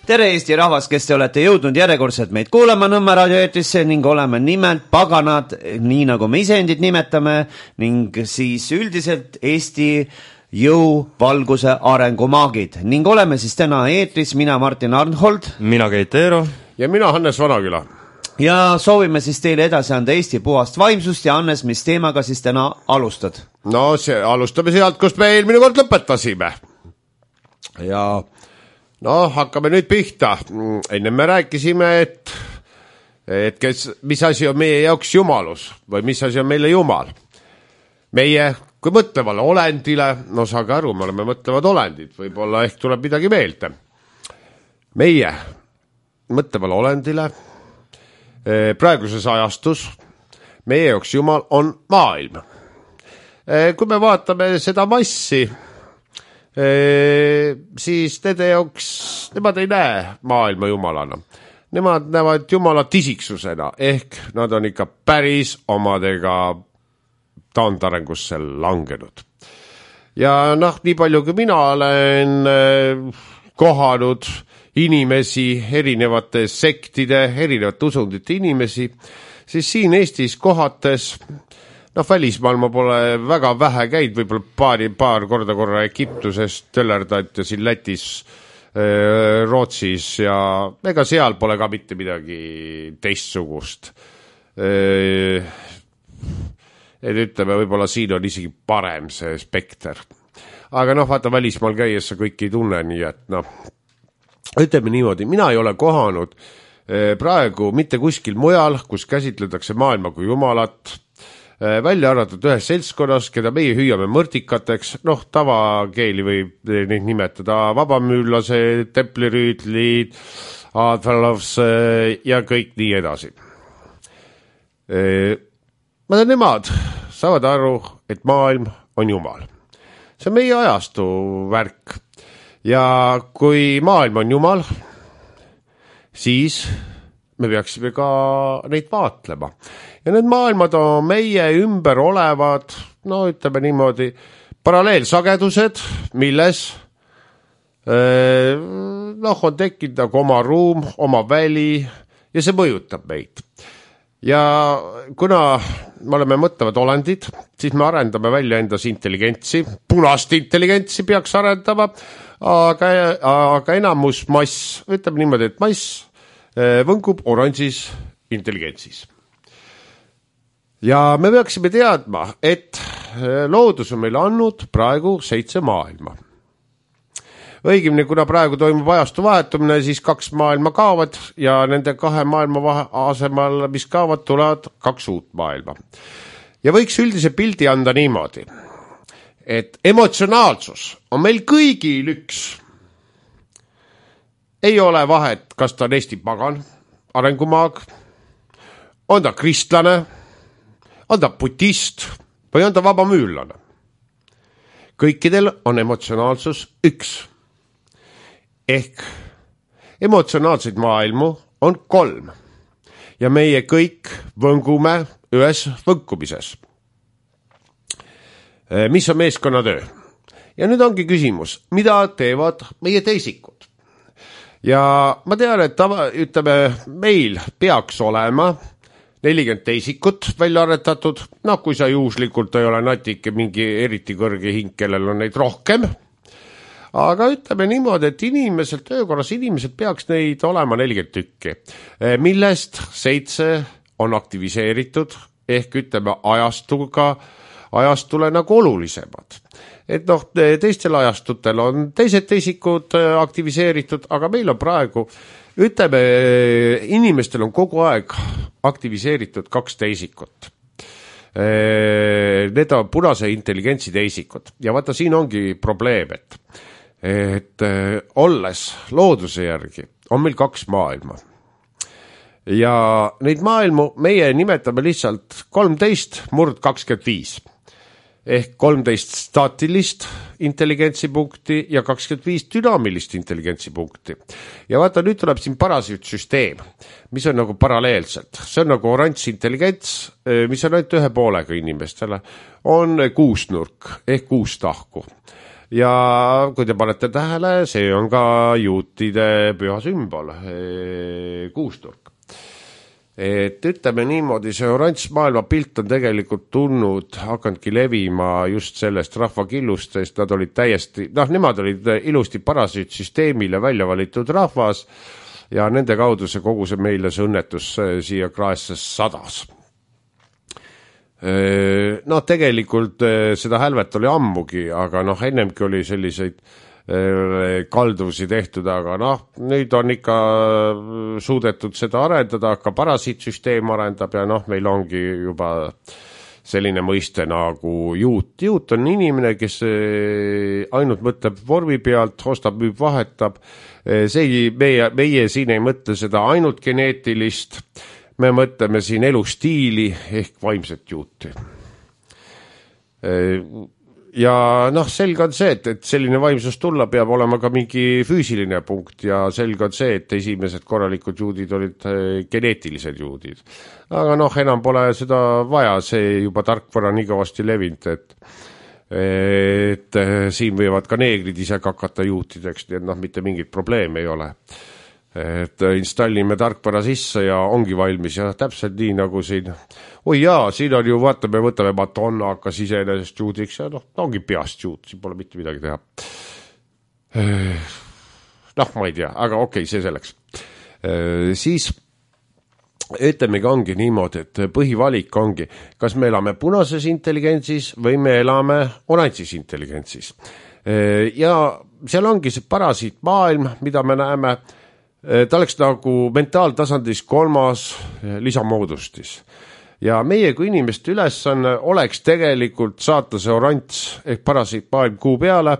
tere Eesti rahvas, kes te olete jõudnud järjekordselt meid kuulama Nõmme raadioeetrisse ning oleme nimelt paganad, nii nagu me iseendid nimetame, ning siis üldiselt Eesti jõu, valguse, arengumaagid. Ning oleme siis täna eetris, mina Martin Arnhold, mina Keit Eero ja mina Hannes Vanaküla. Ja soovime siis teile edasi anda Eesti puhast vaimsust ja Hannes, mis teemaga siis täna alustad? No alustame sealt, kust me eelmine kord lõpetasime. Ja hakkame nüüd pihta. Enne me rääkisime, et mis asi on meie jaoks jumalus või mis asi on meile jumal. Meie, kui mõtlevale olendile, saage aru, me oleme mõtlevad olendid, võib-olla ehk tuleb midagi meelde. Meie mõtlevale olendile praeguses ajastus meie jaoks jumal on maailm. Kui me vaatame seda massi, siis nende jaoks, nemad ei näe maailma jumalana. Nemad näevad jumala tisiksusena, ehk nad on ikka päris omadega taandarengusse langenud. Ja nii palju kui mina olen kohanud inimesi, erinevate sektide, erinevate usundite inimesi, siis siin Eestis kohates välismaal ma pole väga vähe käid, võib-olla paar korra Egiptuses töllerdad ja siin Lätis, Rootsis ja ega seal pole ka mitte midagi teistsugust. Et ütleme, võib-olla siin on isegi parem see spekter. Aga vaata välismaal käies sa kõik ei tunne, nii et ütleme niimoodi, mina ei ole kohanud praegu mitte kuskil mujal, kus käsitletakse maailma kui jumalat, välja arvatud ühes seltskonnas, keda meie hüüame mõrtikateks, tavakeeli võib neid nimetada vabamüüllased, templirüütlid, Advalovs ja kõik nii edasi. Nemad saavad aru, et maailm on jumal. See on meie ajastu värk. Ja kui maailm on jumal, siis me peaksime ka neid vaatlema. Ja need maailmad on meie ümber olevad, ütleme niimoodi, paralleelsagedused, milles on tekkinud nagu oma ruum, oma väli ja see mõjutab meid. Ja kuna me oleme mõtlevad olendid, siis me arendame välja endas intelligentsi, punast intelligentsi peaks arendama, aga enamus mass, ütleme niimoodi, et mass võngub oranžis intelligentsis. Ja me peaksime teadma, et loodus on meile andnud praegu 7 maailma. Õigemini, kuna praegu toimub ajastu vahetumine, siis 2 maailma kaovad ja nende 2 maailma asemal, mis kaovad, tulevad 2 uut maailma. Ja võiks üldise pildi anda niimoodi, et emotsionaalsus on meil kõigil üks. Ei ole vahet, kas ta on Eesti pagan, arengumaag, on ta kristlane, on ta budist või on ta vabamüüllane. Kõikidel on emotsionaalsus üks. Ehk emotsionaalseid maailmu on 3 ja meie kõik võngume ühes võnkumises. Mis on meeskonnatöö? Ja nüüd ongi küsimus, mida teevad meie teisikud? Ja ma tean, et ütleme, meil peaks olema 40 teisikut välja aretatud, kui sa juhuslikult ei ole natike mingi eriti kõrge hing, kellel on neid rohkem. Aga ütleme niimoodi, et töökorras inimesed peaks neid olema 40 tükki, millest 7 on aktiviseeritud, ehk ütleme ajastule nagu olulisemad. Et teistel ajastutel on teised teisikud aktiviseeritud, aga meil on praegu, ütleme, inimestel on kogu aeg aktiviseeritud 2 teisikut. Need on punase intelligentsi teisikud. Ja vaata, siin ongi probleem, et olles looduse järgi on meil 2 maailma. Ja neid maailmu meie nimetame lihtsalt 13/25. Ehk 13 staatilist intelligentsipunkti ja 25 dünaamilist intelligentsipunkti. Ja vaata, nüüd tuleb siin parasiitsüsteem, mis on nagu paralleelselt. See on nagu oranž intelligents, mis on ainult 1 poolega inimestele, on 6 nurk ehk 6 tahku. ja kui te panete tähele, see on ka juutide püha sümbol, kuusturg. Et ütleme niimoodi, see oranž maailmapilt on tegelikult tulnud, hakandki levima just sellest rahvakillustest, nad olid täiesti, nemad olid ilusti parasüütsüsteemile välja valitud rahvas ja nende kaudu see kogu see meile see õnnetus siia kraesse sadas. Tegelikult seda hälvet oli ammugi, aga ennemgi oli selliseid kalduvusi tehtud, aga nüüd on ikka suudetud seda arendada, ka parasiitsüsteem arendab ja meil ongi juba selline mõiste nagu juut. Juut on inimene, kes ainult mõtleb vormi pealt, ostab, müüb, vahetab. Meie siin ei mõtle seda ainult geneetilist, me mõtleme siin elustiili ehk vaimset juuti. Ja selge on see, et selline vaimsus tulla peab olema ka mingi füüsiline punkt ja selge on see, et esimesed korralikud juudid olid geneetilised juudid. Aga enam pole seda vaja, see juba tarkvara nii kõvasti levinud, et siin võivad ka neegrid ise kakata juutideks, nii et mitte mingit probleemi ei ole. Et installime tarkvara sisse ja ongi valmis ja täpselt nii nagu siin. Oi jaa, siin on ju, vaatame, võtame Madonna hakkas iseenesest juudiks ja ongi peast juut, siin pole mitte midagi teha. Ma ei tea, aga okei, see selleks. Siis ütlemegi ongi niimoodi, et põhivalik ongi, kas me elame punases intelligentsis või me elame oranžis intelligentsis. Ja seal ongi see parasiit maailm, mida me näeme, ta oleks nagu mentaaltasandis 3. lisamoodustis. Ja meie kui inimeste ülesanne oleks tegelikult saata see oranž ehk parasiit maailm kuu peale,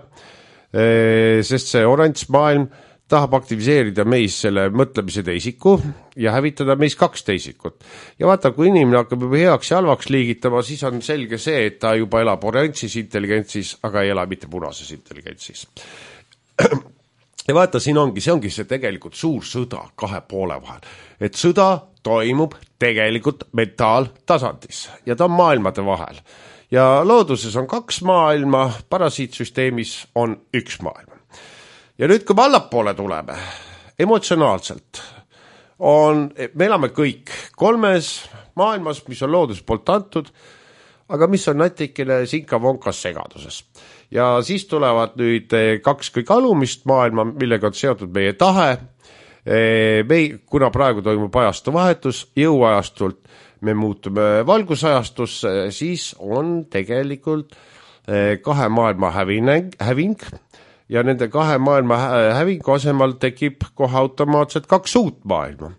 sest see oranž maailm tahab aktiviseerida meis selle mõtlemise teisiku ja hävitada meis 2 teisikut. Ja vaata, kui inimene hakkab juba heaks ja halvaks liigitama, siis on selge see, et ta juba elab oranžis intelligentsis, aga ei ela mitte punases intelligentsis. Ja vaata, see ongi see tegelikult suur sõda 2 poole vahel. Et sõda toimub tegelikult mentaaltasandis ja ta on maailmade vahel. Ja looduses on 2 maailma, parasiitsüsteemis on 1 maailm. Ja nüüd, kui me allapoole tuleme, emotsionaalselt, me elame kõik 3 maailmas, mis on loodus poolt antud, aga mis on natikene sinka-vonkas segaduses. Ja siis tulevad nüüd 2 kõik alumist maailma, millega on seotud meie tahe. Kuna praegu toimub ajastu vahetus, jõuajastult me muutume valgusajastusse, siis on tegelikult 2 maailma häving ja nende 2 maailma hävingu asemel tekib kohe automaatselt 2 uut maailma.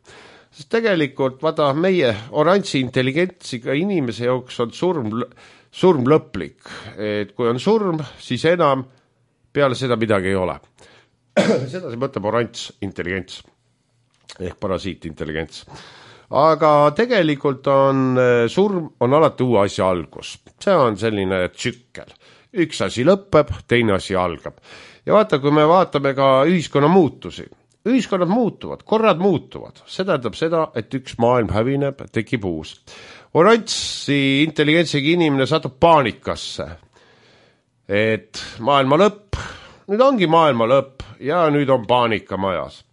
Sest tegelikult, vaata, meie oranži intelligentsiga inimese jooks on surm lõplik. Et kui on surm, siis enam peale seda midagi ei ole. Seda see mõtleb oranž intelligents ehk parasiit intelligents. Aga tegelikult on surm on alati uue asja algus. See on selline tsükkel. Üks asi lõpeb, teine asi algab. Ja vaata, kui me vaatame ka ühiskonna muutusi. Ühiskonnad muutuvad, korrad muutuvad. See tähendab seda, et üks maailm hävineb, tekib uus. Oranži intelligentsiga inimene satub paanikasse. Et maailma lõpp, nüüd ongi maailma lõpp ja nüüd on paanika majas.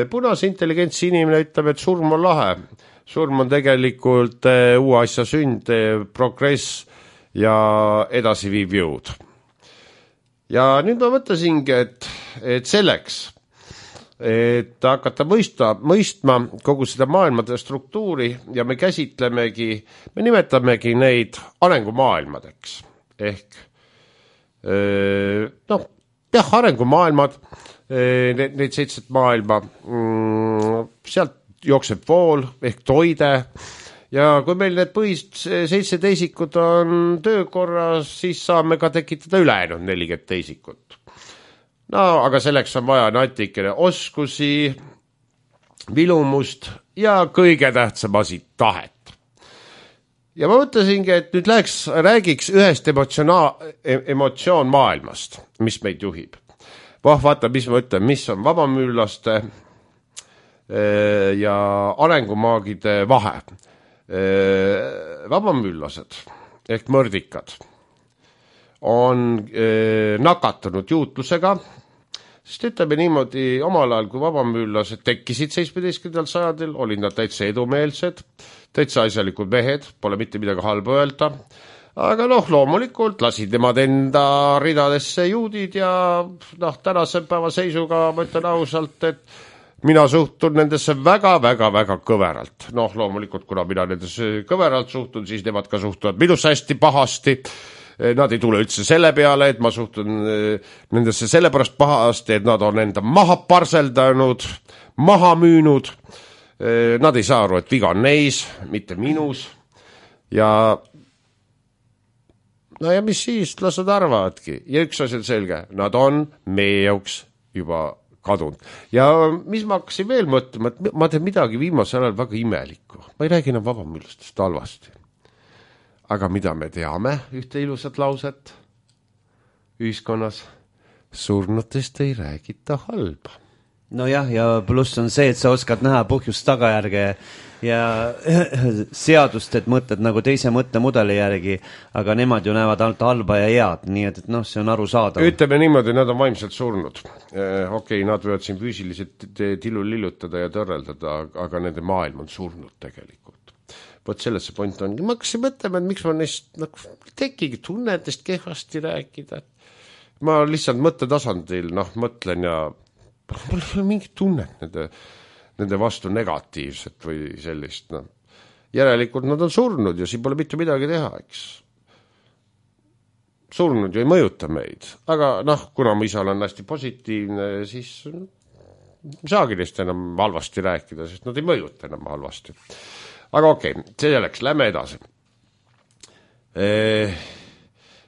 Punase intelligentsi inimene ütleb, et surm on lahe. Surm on tegelikult uue asja sünd, progress ja edasiviiv jõud. Ja nüüd ma mõtlesingi, et selleks, et hakata mõistma kogu seda maailmade struktuuri ja me nimetamegi neid arengumaailmadeks. Ehk, arengumaailmad, need 7 maailma, sealt jookseb vool ehk toide ja kui meil need põhist 7 teisikut on töökorras, siis saame ka tekitada ülejäänud 40 teisikut. No, aga selleks on vaja natikene oskusi, vilumust ja kõige tähtsam asi, tahet. Ja ma mõtlesingi, et nüüd räägiks ühest emotsioon maailmast, mis meid juhib. Vaata, mis ma ütlen, mis on vabamüürlaste ja arengumaagide vahe. Vabamüürlased ehk mõrdikad on nakatunud juutlusega, sest ütleme niimoodi, omal ajal, kui vabamüürlased tekkisid 17. sajandil, olid nad täitsa edumeelsed, täitsa asjalikud mehed, pole mitte midagi halba öelda, aga loomulikult lasid nemad enda ridadesse juudid ja tänase päeva seisuga ma ütlen ausalt, et mina suhtun nendesse väga kõveralt. Loomulikult, kuna mina nendesse kõveralt suhtun, siis nemad ka suhtuvad minusse hästi pahasti. Nad ei tule üldse selle peale, et ma suhtun nendesse sellepärast pahasti, et nad on enda maha parseldanud, maha müünud. Nad ei saa aru, et viga on neis, mitte minus. Ja mis siis, las nad arvavadki. Ja üks asi on selge, nad on meie jaoks juba kadunud. Ja mis ma hakkasin veel mõtlema, et ma teen midagi viimasel ajal väga imelikku. Ma ei räägi enam vabamüürlastest halvasti. Aga mida me teame, ühte ilusat lauset ühiskonnas, surnutest ei räägita halba. Nojah, ja pluss on see, et sa oskad näha põhjust tagajärge ja seadust, et mõtled nagu teise mõttemudeli järgi, aga nemad ju näevad ainult halba ja head, nii et see on arusaadav. Ütleme niimoodi, nad on vaimselt surnud. Okei, nad võivad siin füüsiliselt tillu lillutada ja tõrreldada, aga nende maailm on surnud tegelikult. Võt selles see point on. Ma hakkasin mõtlema, et miks ma neist tekigi tunnetest kehvasti rääkida. Ma lihtsalt mõttetasandil mõtlen ja mul ei ole mingit tunnet nende vastu negatiivset või sellist. Järelikult nad on surnud ja siin pole mitte midagi teha, eks. Surnud ju ei mõjuta meid. Aga kuna mu isa on hästi positiivne, siis saagi neist enam halvasti rääkida, sest nad ei mõjuta enam halvasti. Aga okei, see selleks, lähme edasi.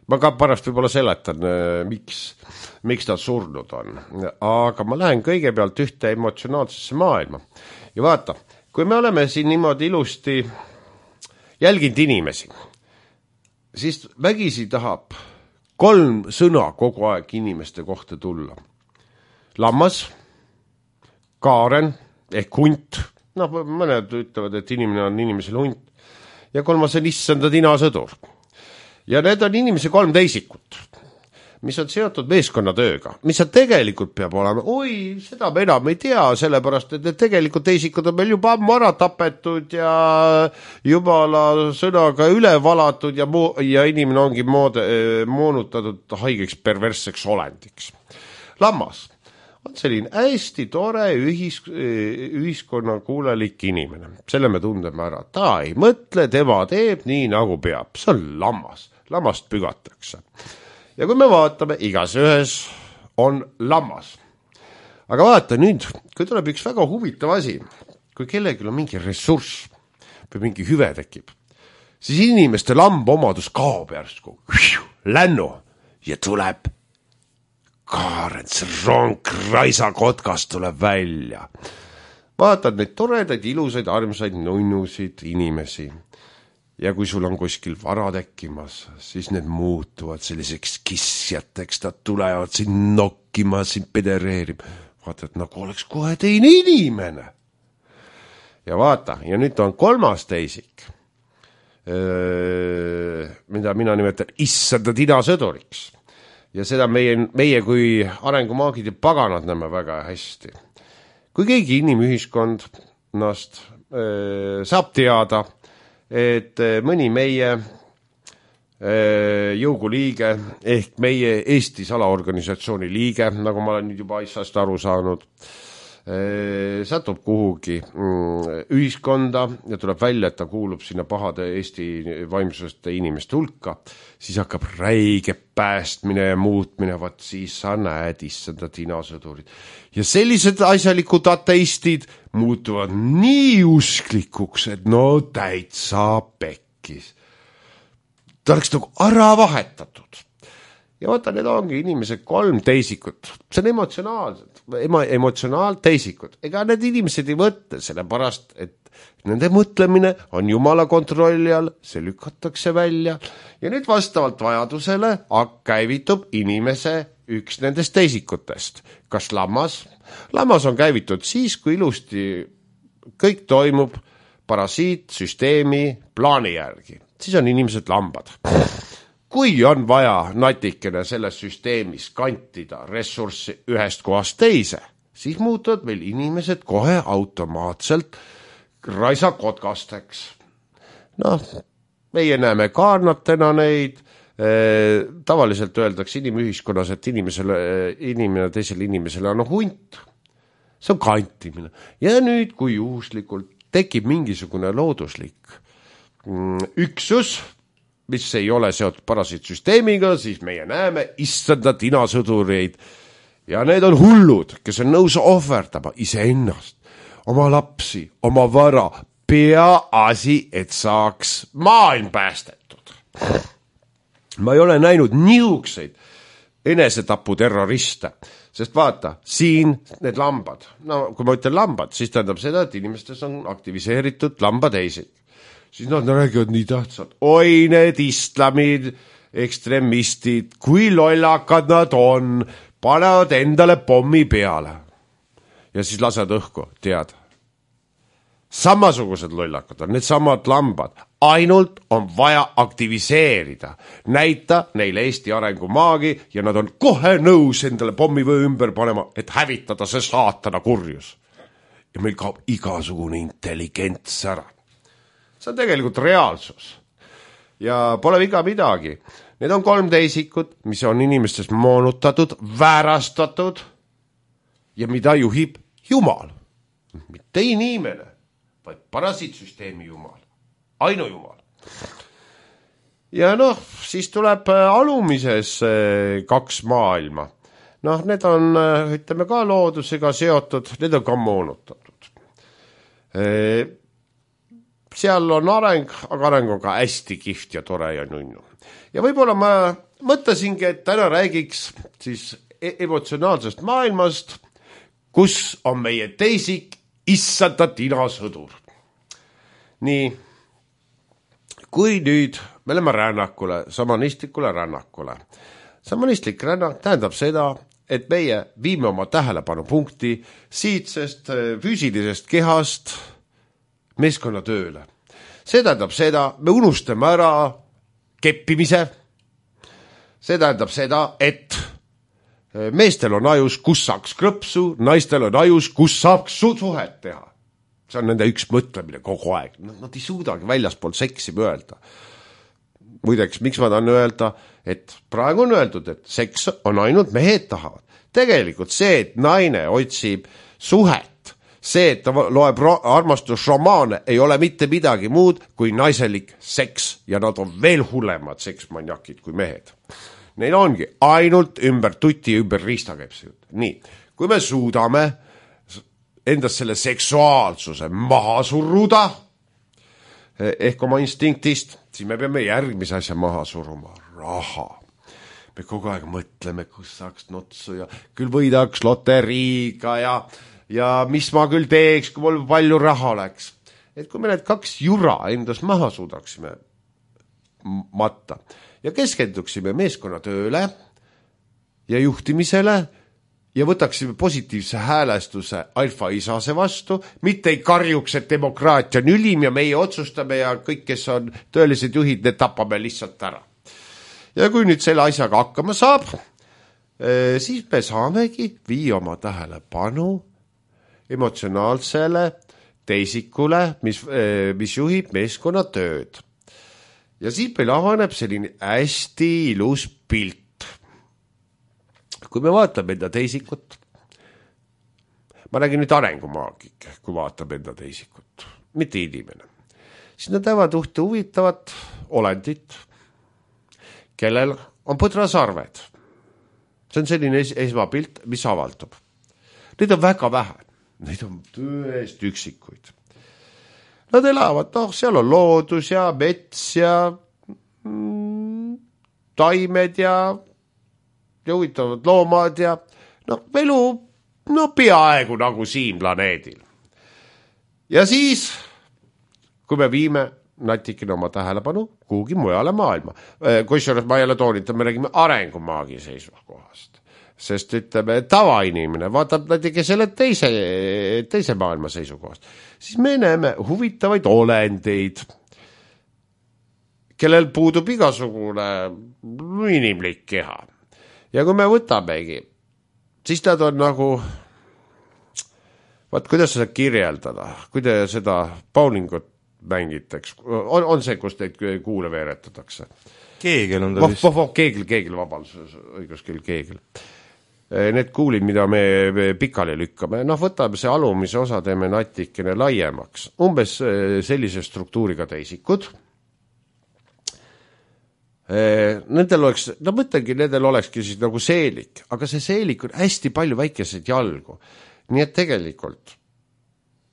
Ma ka pärast võib-olla seletan, miks ta surnud on. Aga ma lähen kõigepealt ühte emotsionaalsesse maailma. Ja vaata, kui me oleme siin niimoodi ilusti jälginud inimesi, siis vägisi tahab 3 sõna kogu aeg inimeste kohta tulla. Lammas, kaaren ehk hunt, mõned ütlevad, et inimene on inimesel hunt, ja 3 on issanda tinasõdur. Ja need on inimese 3 teisikut, mis on seotud meeskonnatööga, mis on tegelikult peab olema, seda me enam ei tea, sellepärast, et need tegelikult teisikud on meil juba ammu ära tapetud ja jumala sõnaga üle valatud ja inimene ongi moonutatud haigeks perversseks olendiks. Lammas on selline hästi tore ühiskonna kuulelik inimene. Selle me tundeme ära. Ta ei mõtle, tema teeb nii nagu peab. See on lammas. Lammast pügatakse. Ja kui me vaatame, igas ühes on lammas. Aga vaata nüüd, kui tuleb üks väga huvitav asi, kui kellelgi on mingi ressurss või mingi hüve tekib, siis inimeste lambomadus kaob järsku. Lännu ja tuleb Kaarens ronk raisakotkas tuleb välja. Vaatad neid toredaid, ilusaid, armsaid, nunnusid inimesi. Ja kui sul on kuskil vara tekkimas, siis need muutuvad selliseks kissjateks, nad tulevad siin nokkima, siin pedereerima. Vaata, et nagu oleks kohe teine inimene. Ja vaata, ja nüüd on 3. teisik, mida mina nimetan issanda tinasõduriks. Ja seda meie kui arengumaagid ja paganad näeme väga hästi. Kui keegi inimühiskonnast saab teada, et mõni meie jõuguliige ehk meie Eesti salaorganisatsiooni liige, nagu ma olen nüüd juba asjast aru saanud, satub kuhugi ühiskonda ja tuleb välja, et ta kuulub sinna pahade Eesti vaimsuste inimeste hulka, siis hakkab räige päästmine ja muutmine, vaat siis sa näed issanda tinasõdurid. Ja sellised asjalikud ateistid muutuvad nii usklikuks, et täitsa pekkis. Ta oleks nagu ära vahetatud. Ja vaata, need ongi inimesed 3 teisikut. See on emotsionaalteisikud. Ega need inimesed ei võtta, sellepärast, et nende mõtlemine on Jumala kontrolli all, see lükatakse välja. Ja nüüd vastavalt vajadusele käivitub inimese üks nendest teisikutest. Kas lammas? Lammas on käivitud siis, kui ilusti kõik toimub parasiitsüsteemi plaani järgi. Siis on inimesed lambad. kui on vaja natikene selles süsteemis kantida ressurssi ühest kohast teise, siis muutuvad meil inimesed kohe automaatselt raisakotkasteks. Noh, meie näeme kaarnatena neid, tavaliselt öeldakse inimühiskonnas, et inimene teisele inimesele on hunt. See on kantimine. Ja nüüd, kui juhuslikult tekib mingisugune looduslik üksus, mis ei ole seotud parasiitsüsteemiga, siis meie näeme issanda tinasõdureid. Ja need on hullud, kes on nõus ohverdama iseennast, oma lapsi, oma vara, peaasi, et saaks maailm päästetud. Ma ei ole näinud nihukseid enesetaputerroriste, sest vaata, siin need lambad, no kui ma ütlen lambad, siis tähendab seda, et inimestes on aktiviseeritud lambateised. Siis nad räägivad nii tähtsad. Oi, need islamid, ekstremistid, kui lollakad nad on, panevad endale pommi peale. Ja siis lased õhku, tead. Samasugused lollakad on, need samad lambad. Ainult on vaja aktiviseerida. Näita neile Eesti arengumaagi ja nad on kohe nõus endale pommi või ümber panema, et hävitada see saatana kurjus. Ja meil kaob igasugune intelligents ära. See on tegelikult reaalsus. Ja pole viga midagi. Need on 3 teisikut, mis on inimestes moonutatud, väärastatud ja mida juhib Jumal. Mitte inimene, vaid parasiitsüsteemi Jumal. Ainu Jumal. Ja noh, siis tuleb alumises 2 maailma. Noh, need on, ütleme ka loodusega seotud, need on ka moonutatud. Seal on areng, aga areng on ka hästi kihvt ja tore ja nunnu. Ja võib-olla ma mõtlesingi, et täna räägiks siis emotsionaalsest maailmast, kus on meie teisik issanda tinasõdur. Nii, kui nüüd me oleme rännakule, samanistlikule rännakule. Samanistlik rännak tähendab seda, et meie viime oma tähelepanupunkti siitsest füüsilisest kehast meeskonnatööle. See tähendab seda, me unustame ära keppimise. See tähendab seda, et meestel on ajus, kus saaks krõpsu, naistel on ajus, kus saaks suhet teha. See on nende üks mõtlemine kogu aeg. Nad ei suudagi väljaspoolt seksi öelda. Muideks, miks ma tahan öelda, et praegu on öeldud, et seks on ainult mehed tahavad. Tegelikult see, et naine otsib suhet, see, et ta loeb armastusromaane, ei ole mitte midagi muud kui naiselik seks ja nad on veel hullemad seksmanjakid kui mehed. Neil ongi ainult ümber tuti ja ümber riista käib see jutt. Nii, kui me suudame endast selle seksuaalsuse maha surruda ehk oma instinktist, siis me peame järgmise asja maha suruma. Raha. Me kogu aeg mõtleme, kus saaks notsu ja küll võidaks loteriiga ja mis ma küll teeks, kui mul palju raha oleks. Et kui me need 2 jura endas maha suudaksime matta ja keskenduksime meeskonnatööle ja juhtimisele ja võtaksime positiivse häälestuse alfa-isase vastu, mitte ei karjuks, et demokraatia on ülim ja meie otsustame ja kõik, kes on tõelised juhid, need tapame lihtsalt ära. Ja kui nüüd selle asjaga hakkama saab, siis me saamegi viia oma tähelepanu emotsionaalsele teisikule, mis juhib meeskonnatööd. Ja siis meil avaneb selline hästi ilus pilt. Kui me vaatame enda teisikut, ma räägin nüüd arengumaagik, kui vaatab enda teisikut, mitte inimene, siis nad näevad ühte huvitavat olendit, kellel on põdrasarved. See on selline esmapilt, mis avaldub. Neid on väga vähe. Neid on tõest üksikuid. Nad elavad, seal on loodus ja mets ja taimed ja huvitavad loomad ja elu peaaegu nagu siin planeedil. Ja siis, kui me viime natikene oma tähelepanu kuhugi mujale maailma, kusjuures ma jälle toonitan, me räägime arengumaagi seisukohast. Sest ütleme, tavainimene vaatab natuke selle teise maailma seisukohast. Siis me näeme huvitavaid olendeid, kellel puudub igasugune inimlik keha. Ja kui me võtamegi, siis nad on nagu, kuidas seda kirjeldada, kui te seda bowlingut mängitaks, on see, kus teid kuule veeretatakse? Keegel on ta vist. Keegel, vabandus, õiguskeel keegel. Need kuulid, mida me pikali lükkame, võtame see alumise osa, teeme natikene laiemaks. Umbes sellise struktuuriga teisikud. Nendel oleks, mõtlengi, nendel olekski siis nagu seelik, aga see seelik on hästi palju väikeseid jalgu. Nii et tegelikult,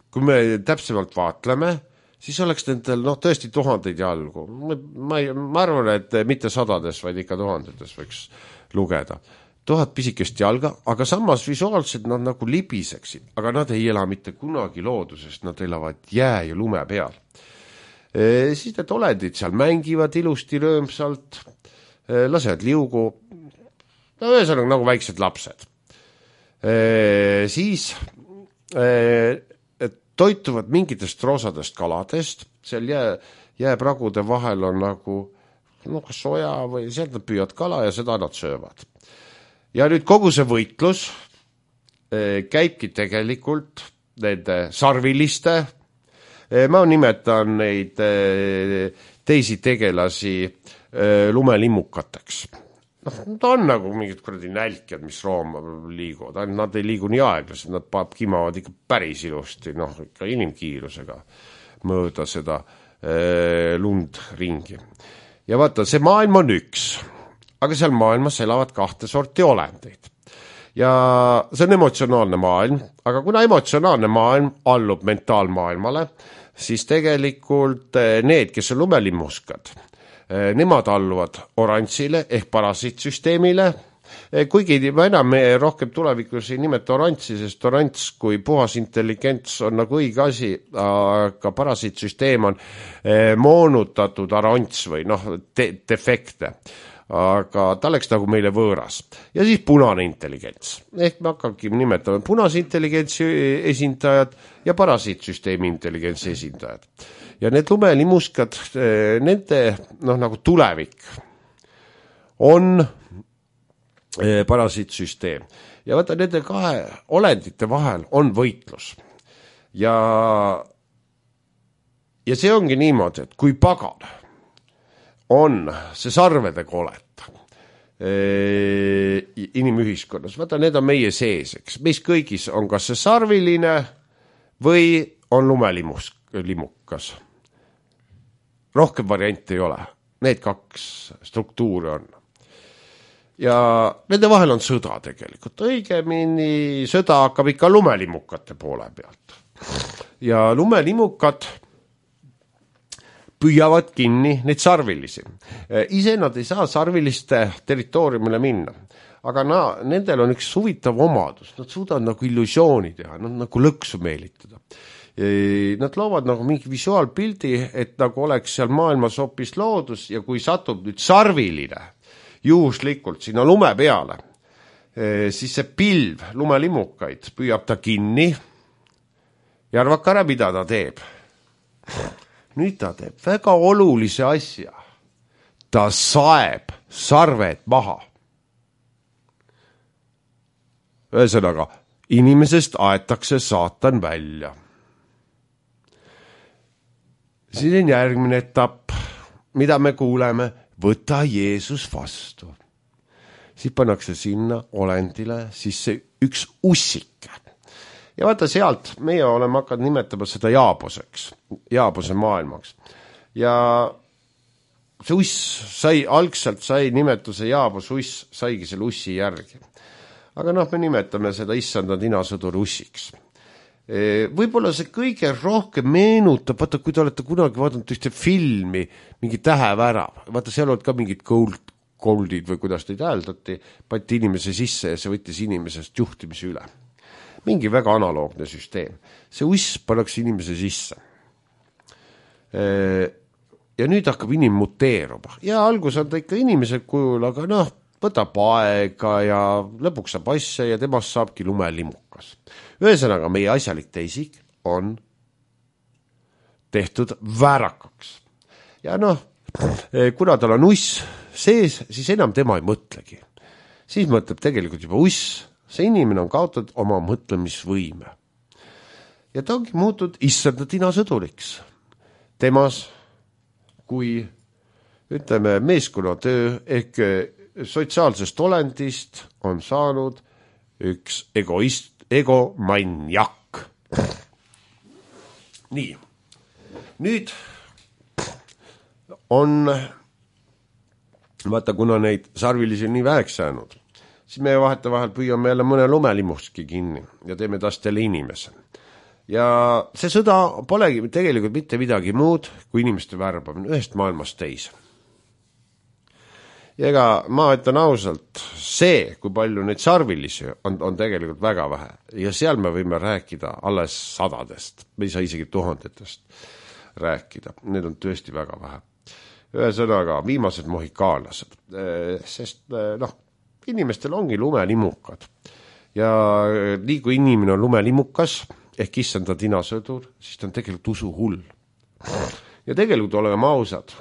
kui me täpsemalt vaatleme, siis oleks nendel tõesti tuhandeid jalgu. Ma arvan, et mitte sadades, vaid ikka tuhandetes võiks lugeda. 1000 pisikest jalga, aga samas visuaalselt nad nagu libiseksid, aga nad ei ela mitte kunagi loodusest, nad elavad jää ja lume peal. Siis need olendid seal mängivad ilusti röömsalt, lasevad liugu, ühesõnaga nagu väiksed lapsed. Siis toituvad mingitest roosadest kaladest, seal jääpragude vahel on nagu soja või sealt nad püüavad kala ja seda nad söövad. Ja nüüd kogu see võitlus käibki tegelikult nende sarviliste, ma nimetan neid teisi tegelasi lumelimmukateks. Ta on nagu mingid kuradi nälkjad, mis rooma liiguvad, nad ei liigu nii aeglaselt, nad kimavad ikka päris ilusti, ikka inimkiirusega mööda seda lund ringi. Ja vaata, see maailm on üks, aga seal maailmas elavad 2 sorti olendeid. Ja see on emotsionaalne maailm, aga kuna emotsionaalne maailm allub mentaalmaailmale, siis tegelikult need, kes on lumelimmuskad, nemad alluvad orantsile ehk parasiitsüsteemile, kuigi ma enam rohkem tulevikus ei nimeta orantsi, sest orants kui puhas intelligents on nagu õige asi, aga parasiitsüsteem on moonutatud arants või defekte. Aga ta oleks nagu meile võõras. Ja siis punane intelligents. Ehk me hakkabki nimetama punase intelligentsi esindajad ja parasiitsüsteemi intelligentsi esindajad. Ja need lumelimuskad, nende nagu tulevik on parasiitsüsteem. Ja vaata, nende 2 olendite vahel on võitlus. Ja see ongi niimoodi, et kui pagan on see sarvedega oled inimühiskonnas. Vaata, need on meie sees, eks. Meis kõigis on kas see sarviline või on lumelimukas. Rohkem variante ei ole. Need 2 struktuuri on. Ja nende vahel on sõda tegelikult. Õigemini sõda hakkab ikka lumelimukate poole pealt. Ja lumelimukad püüavad kinni neid sarvilisi. Ise nad ei saa sarviliste territooriumile minna, aga nendel on üks huvitav omadus. Nad suudavad nagu illusiooni teha, nad nagu lõksu meelitada. Nad loovad nagu mingi visuaalpildi, et nagu oleks seal maailmas hoopis loodus ja kui satub nüüd sarviline juhuslikult sinna lume peale, siis see pilv lumelimukaid püüab ta kinni ja arvake ära, mida ta teeb. Nüüd ta teeb väga olulise asja. Ta saeb sarved maha. Ühesõnaga, inimesest aetakse saatan välja. Siis on järgmine etapp, mida me kuuleme, võta Jeesus vastu. Siis pannakse sinna olendile sisse üks ussike. Ja vaata sealt, meie oleme hakanud nimetama seda Jaaboseks, Jaabose maailmaks. Ja see uss algselt sai nimetuse Jaabos uss, saigi selle ussi järgi. Aga me nimetame seda issanda ninasõdur ussiks. Võib-olla see kõige rohkem meenutab, vaata, kui te olete kunagi vaadanud ühte filmi, mingi Tähevärav, vaata, seal olid ka mingid goldid või kuidas neid hääldati, patti inimese sisse ja see võttis inimesest juhtimise üle. Mingi väga analoogne süsteem. See uss pannakse inimese sisse. Ja nüüd hakkab inim muteeruma. Ja algus on ta ikka inimese kujul, aga võtab aega ja lõpuks saab asja ja temast saabki lumelimukas. Ühesõnaga, meie asjalik teisik on tehtud väärakaks. Ja kuna tal on uss sees, siis enam tema ei mõtlegi. Siis mõtleb tegelikult juba uss, see inimene on kaotatud oma mõtlemisvõime. Ja ta ongi muutud issanda tinasõduriks. Temas, kui ütleme meeskonnatöö ehk sotsiaalsest olendist on saanud üks egomaniak. Nii, nüüd on, vaata, kuna neid sarvilisi on nii väheks jäänud, siis me vahetevahel püüame jälle mõne lumelimuski kinni ja teeme tast jälle inimese. Ja see sõda polegi tegelikult mitte midagi muud kui inimeste värbamine ühest maailmast teise. Ja ega ma ütlen ausalt, see, kui palju neid sarvilisi on tegelikult väga vähe. Ja seal me võime rääkida alles sadadest, me ei saa isegi tuhandetest rääkida. Need on tõesti väga vähe. Ühesõnaga, viimased mohikaanlased, sest inimestel ongi lumelimukad. Ja nii kui inimene on lumelimukas, ehk issanda tinasõdur, siis ta on tegelikult usuhull. Ja tegelikult oleme ausad,